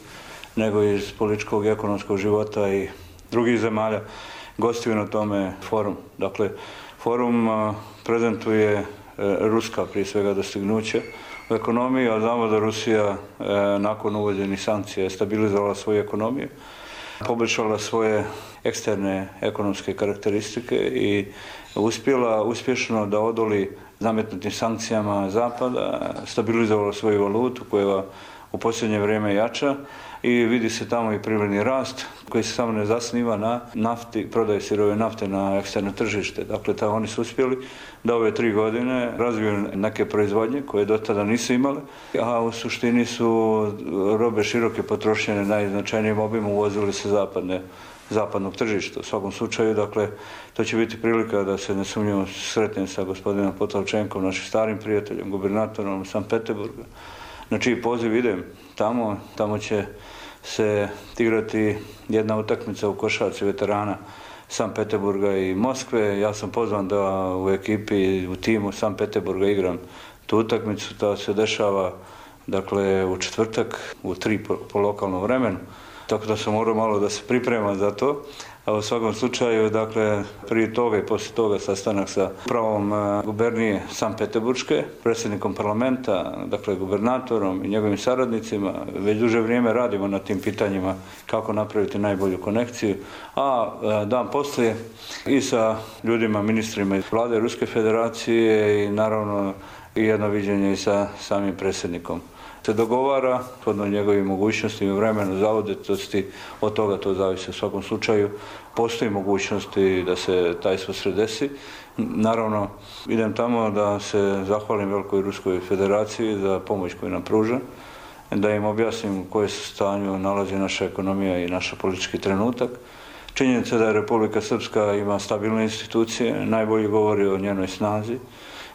nego i iz političkog i ekonomskog života i drugih zemalja gostuju na tome forum. Dakle, forum prezentuje ruska prije svega dostignuća u ekonomiji, a znamo da Rusija nakon uvođenih sankcija je stabilizovala svoju ekonomiju, poboljšala svoje eksterne ekonomske karakteristike i uspjela uspješno da odoli nametnutim sankcijama Zapada, stabilizovala svoju valutu koja u posljednje vrijeme jača i vidi se tamo i privredni rast koji se samo ne zasniva na nafti, prodaje sirove nafte na eksterno tržište. Dakle, oni su uspjeli da ove 3 godine razviju neke proizvodnje koje do tada nisu imale, a u suštini su robe široke potrošnje najznačajnijim obimom uvozili se zapadnog tržišta. U svakom slučaju, dakle, to će biti prilika da se nesumnjivo sretnem sa gospodinom Potlačenkom, našim starim prijateljem, gubernatorom Sankt Peterburga, na čiji poziv idem tamo će se igrati jedna utakmica u košarci veterana Sankt Peterburga i Moskve. Ja sam pozvan da u ekipi, u timu Sankt Peterburga igram tu utakmicu. To se dešava, dakle, u četvrtak, u 3 po lokalnom vremenu. Tako da sam morao malo da se pripremam za to. A u svakom slučaju, dakle, prije toga i poslije toga sastanak sa upravom gubernije Sankt Peterburške, predsjednikom parlamenta, dakle, gubernatorom i njegovim saradnicima. Već duže vrijeme radimo na tim pitanjima kako napraviti najbolju konekciju. A dan poslije i sa ljudima, ministrima iz vlade Ruske federacije i naravno i jedno viđenje i sa samim predsjednikom se dogovara, shodno njegovim mogućnostima, vremenu, zauzetosti, od toga to zavisi. U svakom slučaju postoji mogućnosti da se taj susret desi. Naravno, idem tamo da se zahvalim Velikoj Ruskoj federaciji za pomoć koju nam pruža, da im objasnim u kojem se stanju nalazi naša ekonomija i naš politički trenutak. Činjenica da je Republika Srpska ima stabilne institucije, najbolje govori o njenoj snazi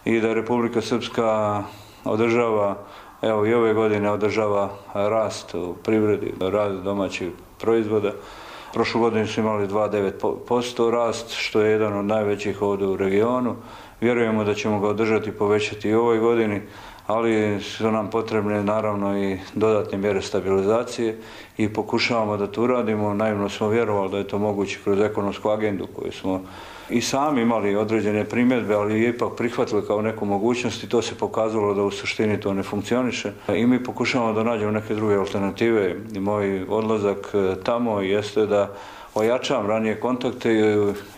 i da Republika Srpska održava, evo i ove godine održava rast u privredi, rast domaćih proizvoda. Prošlu godinu su imali 2,9% rast, što je jedan od najvećih ovdje u regionu. Vjerujemo da ćemo ga održati i povećati i u ovoj godini, ali su nam potrebne naravno i dodatne mjere stabilizacije i pokušavamo da to uradimo. Naivno smo vjerovali da je to moguće kroz ekonomsku agendu koju smo i sami imali određene primjedbe, ali je ipak prihvatili kao neku mogućnost i to se pokazalo da u suštini to ne funkcioniše. I mi pokušavamo da nađemo neke druge alternative. I moj odlazak tamo jeste da ojačam ranije kontakte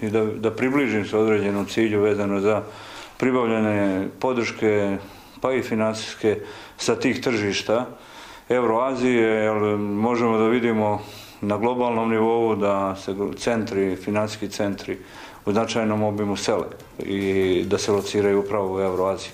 i da približim se određenom cilju vezano za pribavljanje podrške, pa i financijske sa tih tržišta Euroazije, jer možemo da vidimo na globalnom nivou da se centri, financijski centri u značajnom obimu sele i da se lociraju upravo u Euroaziji.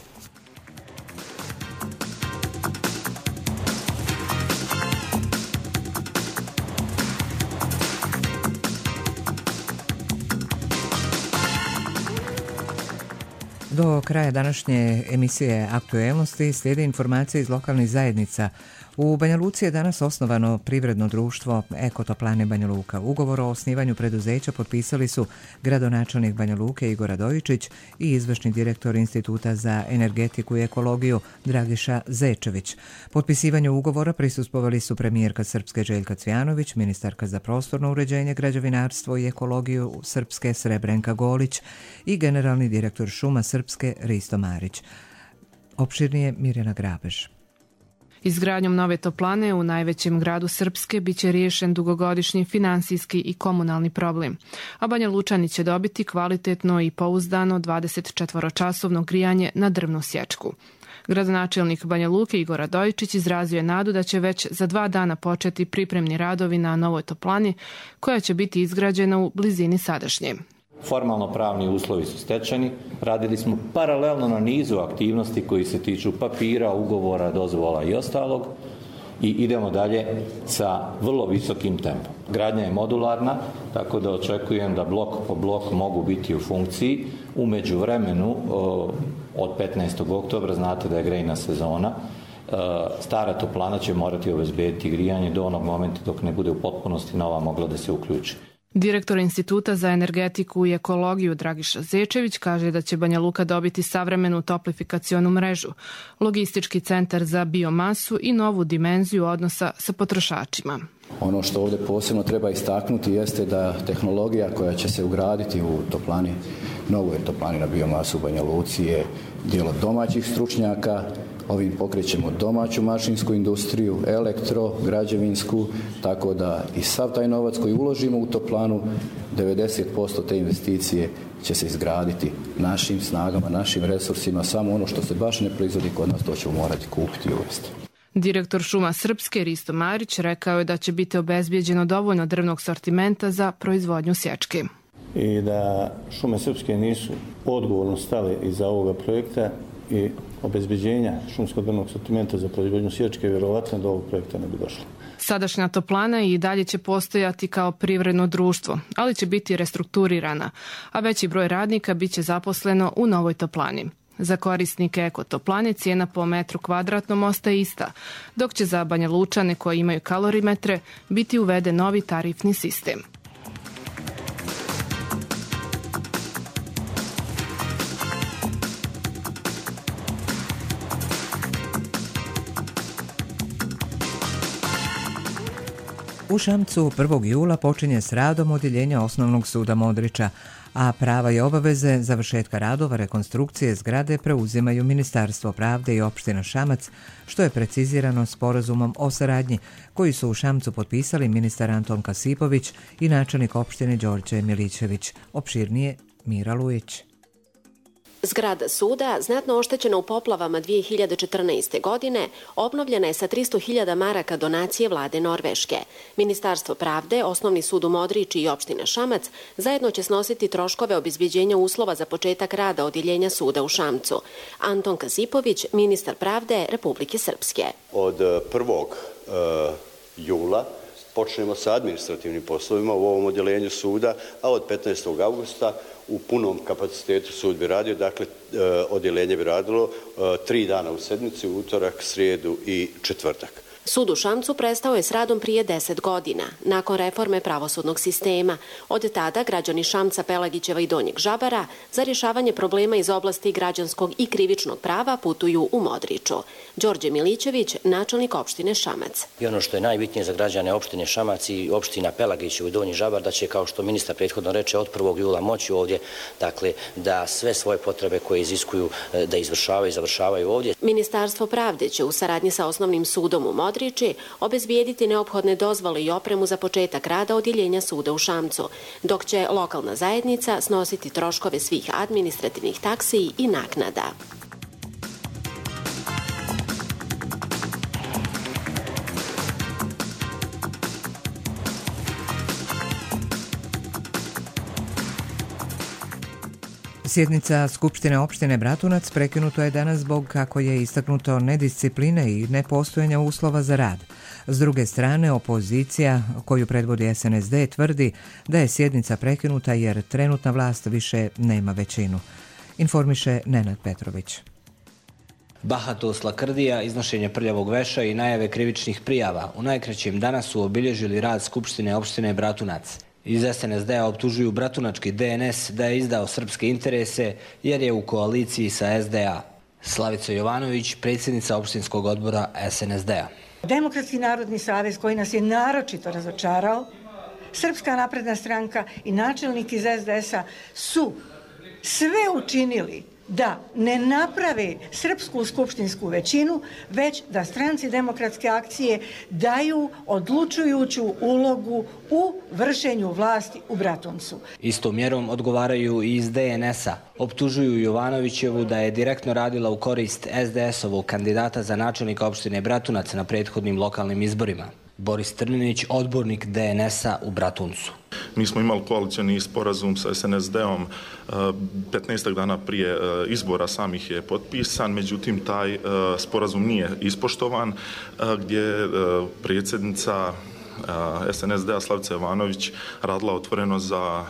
Do kraja današnje emisije Aktuelnosti slijede informacije iz lokalnih zajednica. U Banja Luci je danas osnovano privredno društvo Ekotoplane Banja Luka. Ugovor o osnivanju preduzeća potpisali su gradonačelnik Banja Luke Igor Radojičić i izvršni direktor Instituta za energetiku i ekologiju Dragiša Zečević. Potpisivanju ugovora prisustvovali su premijerka Srpske Željka Cvjanović, ministarka za prostorno uređenje, građevinarstvo i ekologiju Srpske Srebrenka Golić i generalni direktor Šuma Srpske Risto Marić. Opširnije Mirjana Grabež. Izgradnjom nove toplane u najvećem gradu Srpske biće riješen dugogodišnji finansijski i komunalni problem, a Banja Lučani će dobiti kvalitetno i pouzdano 24-časovno grijanje na drvnu sječku. Gradonačelnik Banja Luke Igor Radojičić izrazio je nadu da će već za 2 dana početi pripremni radovi na novoj toplani koja će biti izgrađena u blizini sadašnje. Formalno pravni uslovi su stečeni, radili smo paralelno na nizu aktivnosti koji se tiču papira, ugovora, dozvola i ostalog i idemo dalje sa vrlo visokim tempom. Gradnja je modularna, tako da očekujem da blok po blok mogu biti u funkciji. U međuvremenu, od 15. oktobra, znate da je grejna sezona, stara toplana će morati obezbediti grijanje do onog momenta dok ne bude u potpunosti nova mogla da se uključi. Direktor Instituta za energetiku i ekologiju Dragiša Zečević kaže da će Banja Luka dobiti savremenu toplifikacionu mrežu, logistički centar za biomasu i novu dimenziju odnosa sa potrošačima. Ono što ovdje posebno treba istaknuti jeste da tehnologija koja će se ugraditi u toplani, novoj toplani na biomasu u Banja Luci je djelo domaćih stručnjaka. Ovim pokrećemo domaću mašinsku industriju, elektro, građevinsku, tako da i sav taj novac koji uložimo u toplanu, 90% te investicije će se izgraditi našim snagama, našim resursima, samo ono što se baš ne proizvodi kod nas, to ćemo morati kupiti i uvesti. Direktor Šuma Srpske Risto Marić rekao je da će biti obezbijeđeno dovoljno drvnog sortimenta za proizvodnju sječke. I da Šume Srpske nisu odgovorno stale iza ovoga projekta i obezbeđenja šumskog drvnog sortimenta za proizvodnju sječke, vjerovatno do ovog projekta ne bi došlo. Sadašnja toplana i dalje će postojati kao privredno društvo, ali će biti restrukturirana, a veći broj radnika biće zaposleno u novoj toplani. Za korisnike ekotoplane cijena po metru kvadratnom ostaje ista, dok će za Banja Lučane koji imaju kalorimetre biti uveden novi tarifni sistem. U Šamcu 1. jula počinje s radom odjeljenja Osnovnog suda Modriča, a prava i obaveze završetka radova rekonstrukcije zgrade preuzimaju Ministarstvo pravde i opština Šamac, što je precizirano sporazumom o saradnji koji su u Šamcu potpisali ministar Anton Kasipović i načelnik opštine Đorđe Milićević. Opširnije Mira Lujić. Zgrada suda, znatno oštećena u poplavama 2014. godine, obnovljena je sa 300.000 maraka donacije vlade Norveške. Ministarstvo pravde, Osnovni sud u Modriči i opština Šamac zajedno će snositi troškove obezbeđenja uslova za početak rada odjeljenja suda u Šamcu. Anton Kasipović, ministar pravde Republike Srpske. Od 1. jula počnemo sa administrativnim poslovima u ovom odjeljenju suda, a od 15. augusta u punom kapacitetu sud bi radio, dakle odjeljenje bi radilo 3 dana u sedmici, utorak, srijedu i četvrtak. Sud u Šamcu prestao je s radom prije 10 godina, nakon reforme pravosudnog sistema. Od tada građani Šamca, Pelagićeva i Donjeg Žabara za rješavanje problema iz oblasti građanskog i krivičnog prava putuju u Modriču. Đorđe Milićević, načelnik opštine Šamac. I ono što je najbitnije za građane opštine Šamac i opština Pelagićeva i Donji Žabar, da će, kao što ministar prethodno reče, od 1. jula moći ovdje, dakle, da sve svoje potrebe koje iziskuju da izvršavaju i završavaju ovdje. Ministarstvo pravde će u saradnji sa Osnovnim sudom u Modriči obezbijediti neophodne dozvole i opremu za početak rada odjeljenja suda u Šamcu, dok će lokalna zajednica snositi troškove svih administrativnih taksi i naknada. Sjednica Skupštine opštine Bratunac prekinuto je danas zbog, kako je istaknuto, nediscipline i nepostojanja uslova za rad. S druge strane, opozicija koju predvodi SNSD tvrdi da je sjednica prekinuta jer trenutna vlast više nema većinu. informiše Nenad Petrović. Bahatost, lakrdija, iznošenje prljavog veša i najave krivičnih prijava u najkraćem danas su obilježili rad Skupštine opštine Bratunac. Iz SNSD-a optužuju bratunački DNS da je izdao srpske interese jer je u koaliciji sa SDA. Slavica Jovanović, predsjednica opštinskog odbora SNSD-a. Demokratski narodni savez koji nas je naročito razočarao, Srpska napredna stranka i načelnik iz SDS-a su sve učinili da ne naprave srpsku skupštinsku većinu, već da stranci demokratske akcije daju odlučujuću ulogu u vršenju vlasti u Bratuncu. Istom mjerom odgovaraju i iz DNS-a. Optužuju Jovanovićevu da je direktno radila u korist SDS-ovog kandidata za načelnika opštine Bratunac na prethodnim lokalnim izborima. Boris Trninić, odbornik DNS-a u Bratuncu. Mi smo imali koalicioni sporazum sa SNSD-om 15 dana prije izbora samih je potpisan, međutim taj sporazum nije ispoštovan, gdje predsjednica SNSD-a Slavica Jovanović radila otvoreno za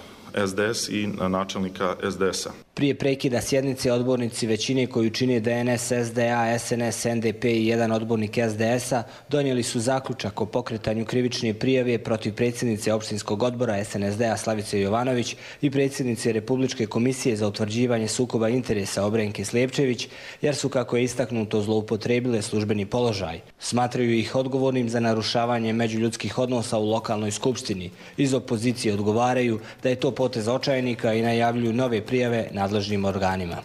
SDS i načelnika SDS-a. Prije prekida sjednice odbornici većine koju čine DNS, SDA, SNS, NDP i jedan odbornik SDS-a donijeli su zaključak o pokretanju krivične prijave protiv predsjednice opštinskog odbora SNSD-a Slavice Jovanović i predsjednice Republičke komisije za utvrđivanje sukoba interesa Obrenke Slijepčević, jer su, kako je istaknuto, zloupotrebile službeni položaj. Smatraju ih odgovornim za narušavanje međuljudskih odnosa u lokalnoj skupštini. Iz opozicije odgovaraju da je to potez očajnika i najavljuju nove prijave nadležnim organima.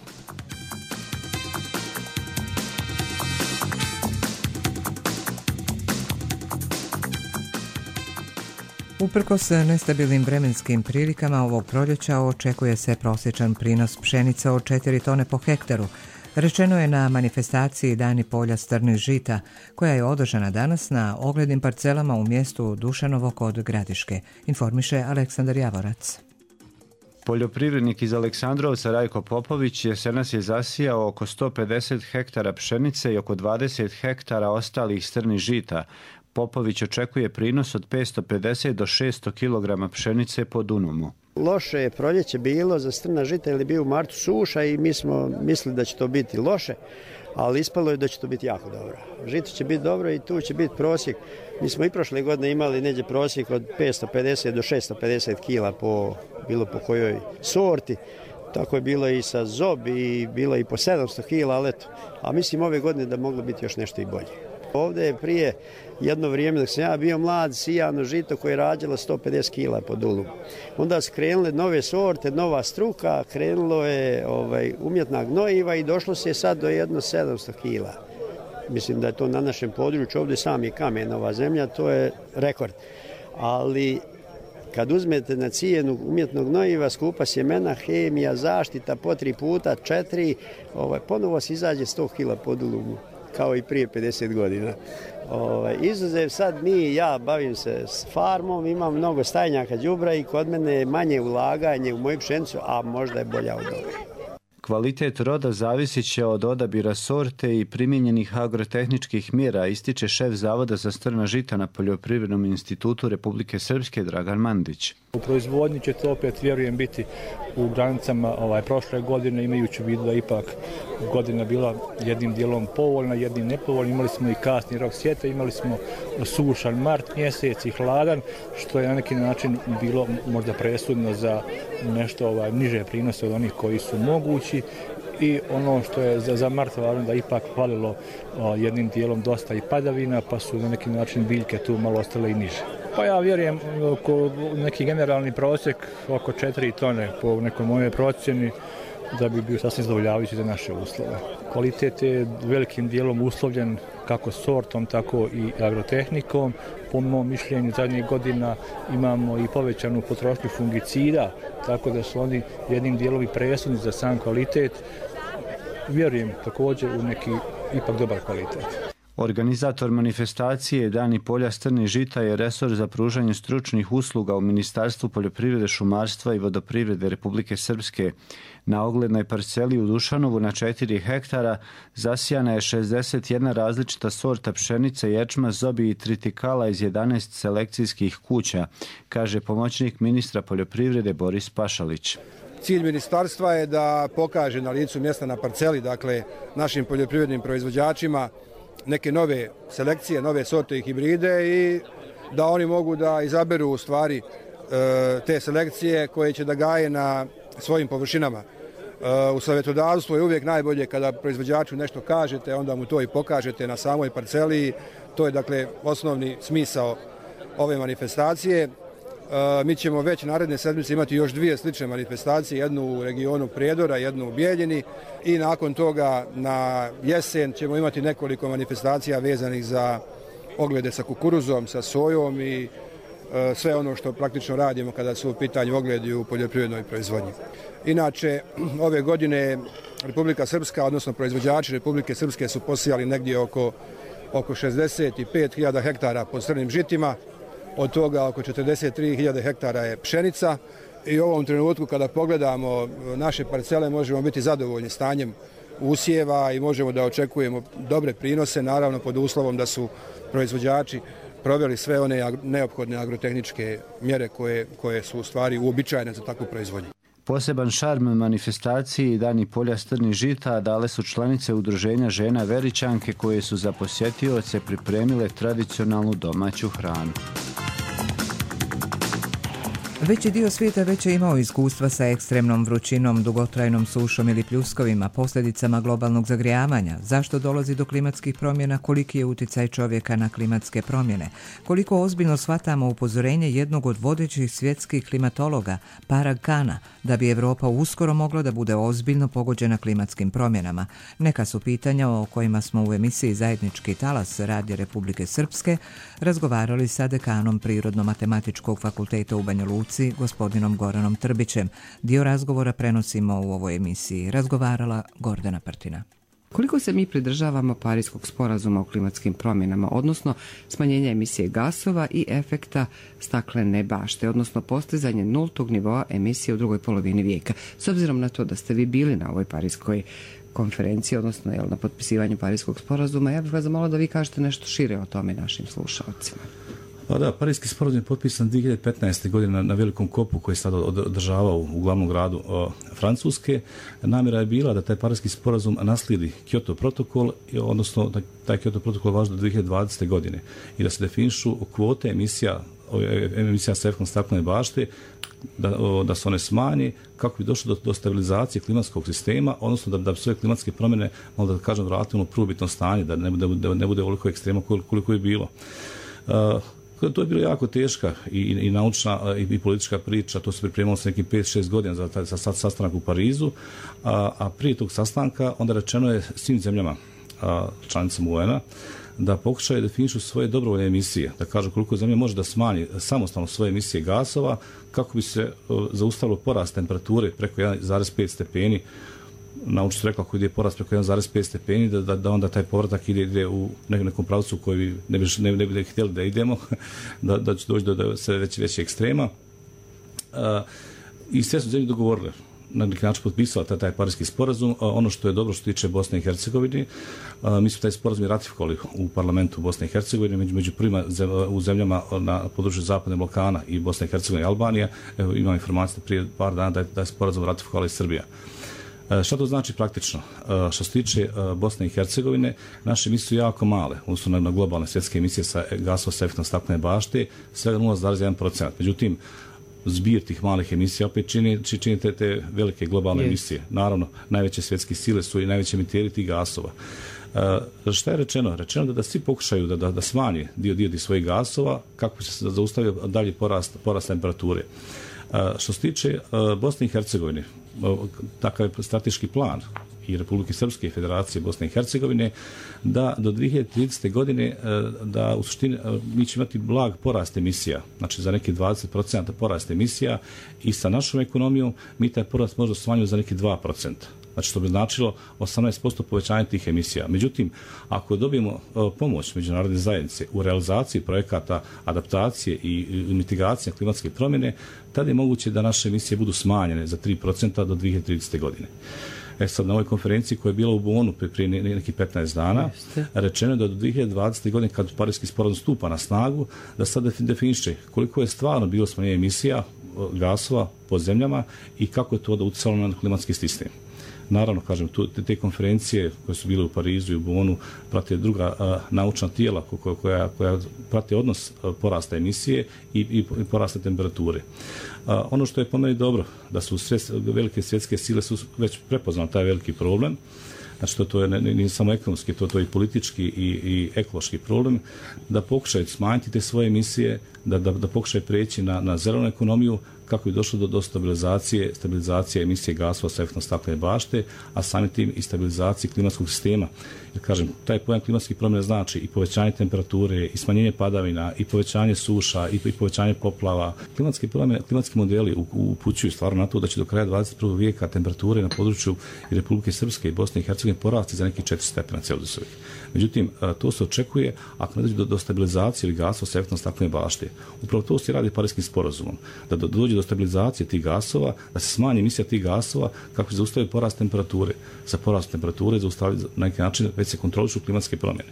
Uprkos nestabilnim vremenskim prilikama ovog proljeća očekuje se prosječan prinos pšenice od 4 tone po hektaru. Rečeno je na manifestaciji Dani polja strnih žita, koja je održana danas na oglednim parcelama u mjestu Dušanovo kod Gradiške, informiše Aleksandar Javorac. Poljoprivrednik iz Aleksandrovca Rajko Popović jesenas je zasijao oko 150 hektara pšenice i oko 20 hektara ostalih strnih žita. Popović očekuje prinos od 550 do 600 kg pšenice po dunumu. Loše je proljeće bilo za strna žita jer je bio u martu suša i mi smo mislili da će to biti loše, ali ispalo je da će to biti jako dobro. Žito će biti dobro i tu će biti prosjek. Mi smo i prošle godine imali neđe prosjek od 550 do 650 kila bilo po kojoj sorti. Tako je bilo i sa zob i bilo i po 700 kila, ali eto. A mislim ove godine da moglo biti još nešto i bolje. Ovdje je prije jedno vrijeme dok sam ja bio mlad sijano žito koje je rađalo 150 kila po dulu. Onda su krenule nove sorte, nova struka, krenulo je umjetna gnojiva i došlo se sad do jedno 700 kila. Mislim da je to na našem području, ovdje sami kamen, ova zemlja, to je rekord. Ali kad uzmete na cijenu umjetnog gnojiva, skupa sjemena, hemija, zaštita po 3 puta, 4, ponovo se izađe 100 kila po dulumu, kao i prije 50 godina. Izuzev sad ja bavim se s farmom, imam mnogo stajnjaka đubra i kod mene je manje ulaganje u moju pšenicu, a možda je bolja od ove. Kvalitet roda zavisit će od odabira sorte i primijenjenih agrotehničkih mjera, ističe šef Zavoda za strna žita na Poljoprivrednom institutu Republike Srpske Dragan Mandić. U proizvodnji će to opet, vjerujem, biti u granicama prošle godine, imajući u vidu da ipak godina bila jednim dijelom povoljna, jednim nepovoljna. Imali smo i kasni rok sjeta, imali smo sušan mart mjesec i hladan, što je na neki način bilo možda presudno za nešto niže prinose od onih koji su mogući. I ono što je za mart važno da ipak falilo jednim dijelom dosta i padavina, pa su na neki način biljke tu malo ostale i niže. Pa ja vjerujem oko neki generalni prosjek oko 4 tone po nekoj mojoj procjeni da bi bio sasvim zadovoljavajući za naše uslove. Kvalitet je velikim dijelom uslovljen kako sortom, tako i agrotehnikom. Po mom mišljenju zadnjih godina imamo i povećanu potrošnju fungicida, tako da su oni jednim dijelom i presudni za sam kvalitet. Vjerujem također u neki ipak dobar kvalitet. Organizator manifestacije Dani polja strnih žita je resor za pružanje stručnih usluga u Ministarstvu poljoprivrede, šumarstva i vodoprivrede Republike Srpske. Na oglednoj parceli u Dušanovu na 4 hektara zasijana je 61 različita sorta pšenice, ječma, zobi i tritikala iz 11 selekcijskih kuća, kaže pomoćnik ministra poljoprivrede Boris Pašalić. Cilj ministarstva je da pokaže na licu mjesta na parceli, dakle našim poljoprivrednim proizvođačima neke nove selekcije, nove sorte i hibride i da oni mogu da izaberu u stvari te selekcije koje će da gaje na svojim površinama. U savjetodavstvu je uvijek najbolje kada proizvođaču nešto kažete, onda mu to i pokažete na samoj parceli. To je dakle osnovni smisao ove manifestacije. Mi ćemo već naredne sedmice imati još 2 slične manifestacije, jednu u regionu Prijedora, jednu u Bijeljini i nakon toga na jesen ćemo imati nekoliko manifestacija vezanih za oglede sa kukuruzom, sa sojom i sve ono što praktično radimo kada su u pitanju ogledi u poljoprivrednoj proizvodnji. Inače, ove godine Republika Srpska, odnosno proizvođači Republike Srpske su posijali negdje oko 65.000 hektara pod crnim žitima, od toga oko 43.000 hektara je pšenica i u ovom trenutku kada pogledamo naše parcele možemo biti zadovoljni stanjem usjeva i možemo da očekujemo dobre prinose, naravno pod uslovom da su proizvođači proveli sve one neophodne agrotehničke mjere koje su u stvari uobičajene za takvu proizvodnju. Poseban šarm manifestaciji Dani polja strnih žita dale su članice udruženja žena Veričanke koje su za posjetioce pripremile tradicionalnu domaću hranu. Veći dio svijeta već je imao iskustva sa ekstremnom vrućinom, dugotrajnom sušom ili pljuskovima, posljedicama globalnog zagrijavanja. Zašto dolazi do klimatskih promjena, koliki je utjecaj čovjeka na klimatske promjene, koliko ozbiljno shvatamo upozorenje jednog od vodećih svjetskih klimatologa, Parag Khanna, da bi Europa uskoro mogla da bude ozbiljno pogođena klimatskim promjenama. Neka su pitanja o kojima smo u emisiji Zajednički talas Radija Republike Srpske razgovarali sa dekanom Prirodno-matematičkog fakulteta u Banja Luci, gospodinom Goranom Trbićem. Dio razgovora prenosimo u ovoj emisiji. Razgovarala Gordana Prtina. Koliko se mi pridržavamo Pariskog sporazuma o klimatskim promjenama, odnosno smanjenja emisije gasova i efekta staklene bašte, odnosno postizanje nultog nivoa emisije u drugoj polovini vijeka? S obzirom na to da ste vi bili na ovoj Pariskoj konferenciji, odnosno na potpisivanju Pariskog sporazuma, ja bih vas zamolila da vi kažete nešto šire o tome našim slušalcima. Pa da, Pariski sporazum je potpisan 2015. godine na velikom kopu koji je sada održavao u glavnom gradu Francuske. Namjera je bila da taj Pariski sporazum naslijedi Kyoto protokol, odnosno da taj Kyoto protokol važi do 2020. godine i da se definišu kvote emisija sa efektom staklene bašte, da se one smanje kako bi došlo do stabilizacije klimatskog sistema, odnosno da sve klimatske promjene, malo da kažem, vratimo u prvobitno stanje, da ne bude ovoliko ekstrema koliko je bilo. To je bilo jako teška i naučna i politička priča, to se pripremalo sa nekim 5-6 godina za sastanak u Parizu, a prije tog sastanka onda rečeno je svim zemljama članicama UN-a da pokušaju definišu svoje dobrovoljne emisije, da kažu koliko zemlja može da smanji samostalno svoje emisije gasova kako bi se zaustavilo porast temperature preko 1,5 stepeni. Naučnici su rekla ako ide porast preko 1,5 stepeni, da onda taj povratak ide u nekom pravcu koji ne bi htjeli da idemo, da će doći do sve veće ekstrema. I sve su zemlje dogovorile, na neki način potpisala taj Pariski sporazum. Ono što je dobro što tiče Bosne i Hercegovine, mi smo taj sporazum i ratifikovali u parlamentu Bosne i Hercegovine, među prvima u zemljama na području Zapadne Balkana i Bosne i Hercegovine i Albanija. Evo, imam informacije prije par dana da je sporazum ratifikovala i Srbija. Šta to znači praktično? Što se tiče Bosne i Hercegovine, naše emisije su jako male, odnosno na globalne svjetske emisije sa gasova sa efektom staklene bašte, svega 0,1%. Međutim, zbir tih malih emisija opet čini te velike globalne emisije. Naravno, najveće svjetske sile su i najveće emiteri tih gasova. Šta je rečeno? Rečeno da svi pokušaju da smanje dio svojih gasova kako bi se zaustavio dalje porast temperature. Što se tiče Bosne i Hercegovine, takav je strateški plan i Republike Srpske i Federacije Bosne i Hercegovine da do 2030. godine da u suštini mi ćemo imati blag porast emisija, znači za neki 20% porast emisija i sa našom ekonomijom mi taj porast možda smanjimo za neki 2%. Znači što bi značilo 18% povećanja tih emisija. Međutim, ako dobijemo pomoć međunarodne zajednice u realizaciji projekata adaptacije i mitigacije klimatske promjene, tada je moguće da naše emisije budu smanjene za 3% do 2030. godine. Sad na ovoj konferenciji koja je bila u Bonu prije nekih 15 dana, rečeno je da do 2020. godine kad Pariski sporazum stupa na snagu, da sad definiše koliko je stvarno bilo smanjenje emisija gasova po zemljama i kako je to da utjecalo na klimatski sistem. Naravno, kažem, te konferencije koje su bile u Parizu i u Bonu prate druga naučna tijela koja prate odnos porasta emisije i porasta temperature. Ono što je po meni dobro, da su velike svjetske sile su već prepoznali taj veliki problem. Znači, to je ne samo ekonomski, to je i politički i ekološki problem, da pokušaju smanjiti te svoje emisije, da pokušaju preći na zelenu ekonomiju, kako je došlo do stabilizacije emisije gasova sa efektom staklene bašte, a samim tim i stabilizacije klimatskog sistema. Jer, kažem, taj pojam klimatskih promjena znači i povećanje temperature, i smanjenje padavina, i povećanje suša, i povećanje poplava. Klimatski modeli upućuju stvarno na to da će do kraja 21. vijeka temperature na području Republike Srpske i Bosne i Hercegovine porasti za nekih 4 stepena Celzijusovih. Međutim, to se očekuje ako ne dođe do stabilizacije ili gasova sa efektom staklene bašte. Upravo to se radi Parijskim sporazumom, da dođe do stabilizacije tih gasova, da se smanji emisija tih gasova kako se zaustavi porast temperature. Sa porastom temperature zaustavi na neki način već se kontrolišu klimatske promjene.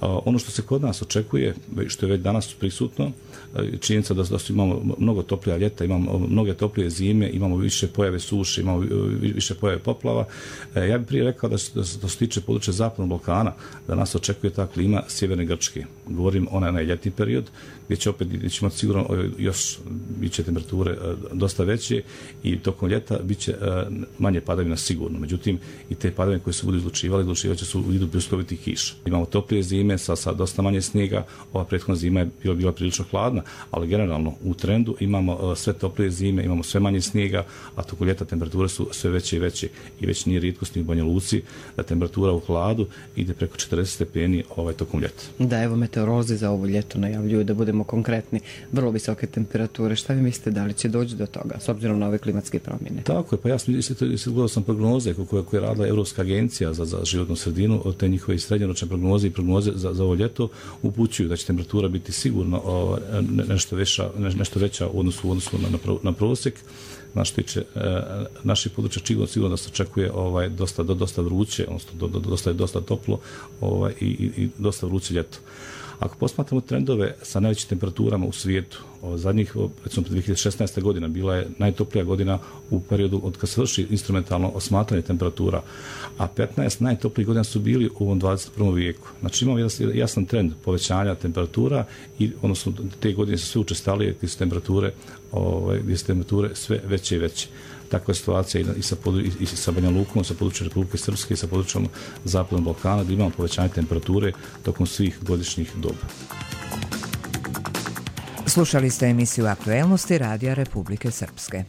Ono što se kod nas očekuje, što je već danas prisutno, činjenica da imamo mnogo toplija ljeta, imamo mnoge toplije zime, imamo više pojave suše, imamo više pojave poplava. Ja bih prije rekao da se tiče područja Zapadnog Balkana, da nas očekuje ta klima sjeverne Grčke. Govorim onaj ljetni period, gdje će imati sigurno još biće temperature dosta veće i tokom ljeta biće manje padavina sigurno. Međutim, i te padavine koje se budu izlučivat će se u vidu pljuskovitih kiša. Imamo toplije zime sa dosta manje snijega, ova prethodna zima je bila prilično hladna, ali generalno u trendu imamo sve toplije zime, imamo sve manje snijega, a tokom ljeta temperature su sve veće i veće i već nije rijetkost ni u Banja Luci da temperatura u hladu ide preko 40 stepeni tokom ljeta. Da, evo meteorolozi za ovo ljeto najavljuju, da budemo konkretni, vrlo visoke temperature. Šta vi mislite, da li će doći do toga s obzirom na ove klimatske promjene? Tako je, pa ja gledao sam prognoze koje je radila Europska agencija za životnu sredinu, te njihove srednjoročne prognoze i prognoze za ovo ljeto upućuju da će temperatura biti sigurno nešto veća u odnosu na prosjek. Naše područje sigurno da se očekuje dosta vruće, odnosno dosta toplo i dosta vruće ljeto. Ako posmatramo trendove sa najvećim temperaturama u svijetu, zadnjih, recimo 2016. godina bila je najtoplija godina u periodu od kad se vrši instrumentalno osmatranje temperatura, a 15 najtoplijih godina su bili u ovom 21. vijeku. Znači imamo jasan trend povećanja temperatura i odnosno te godine su sve učestalije gdje su temperature sve veće i veće. Takva je situacija i sa Banja Lukom, sa područjem Republike Srpske i sa područjem Zapadnog Balkana, gdje imamo povećanje temperature tokom svih godišnjih doba. Slušali ste emisiju Aktuelnosti Radija Republike Srpske.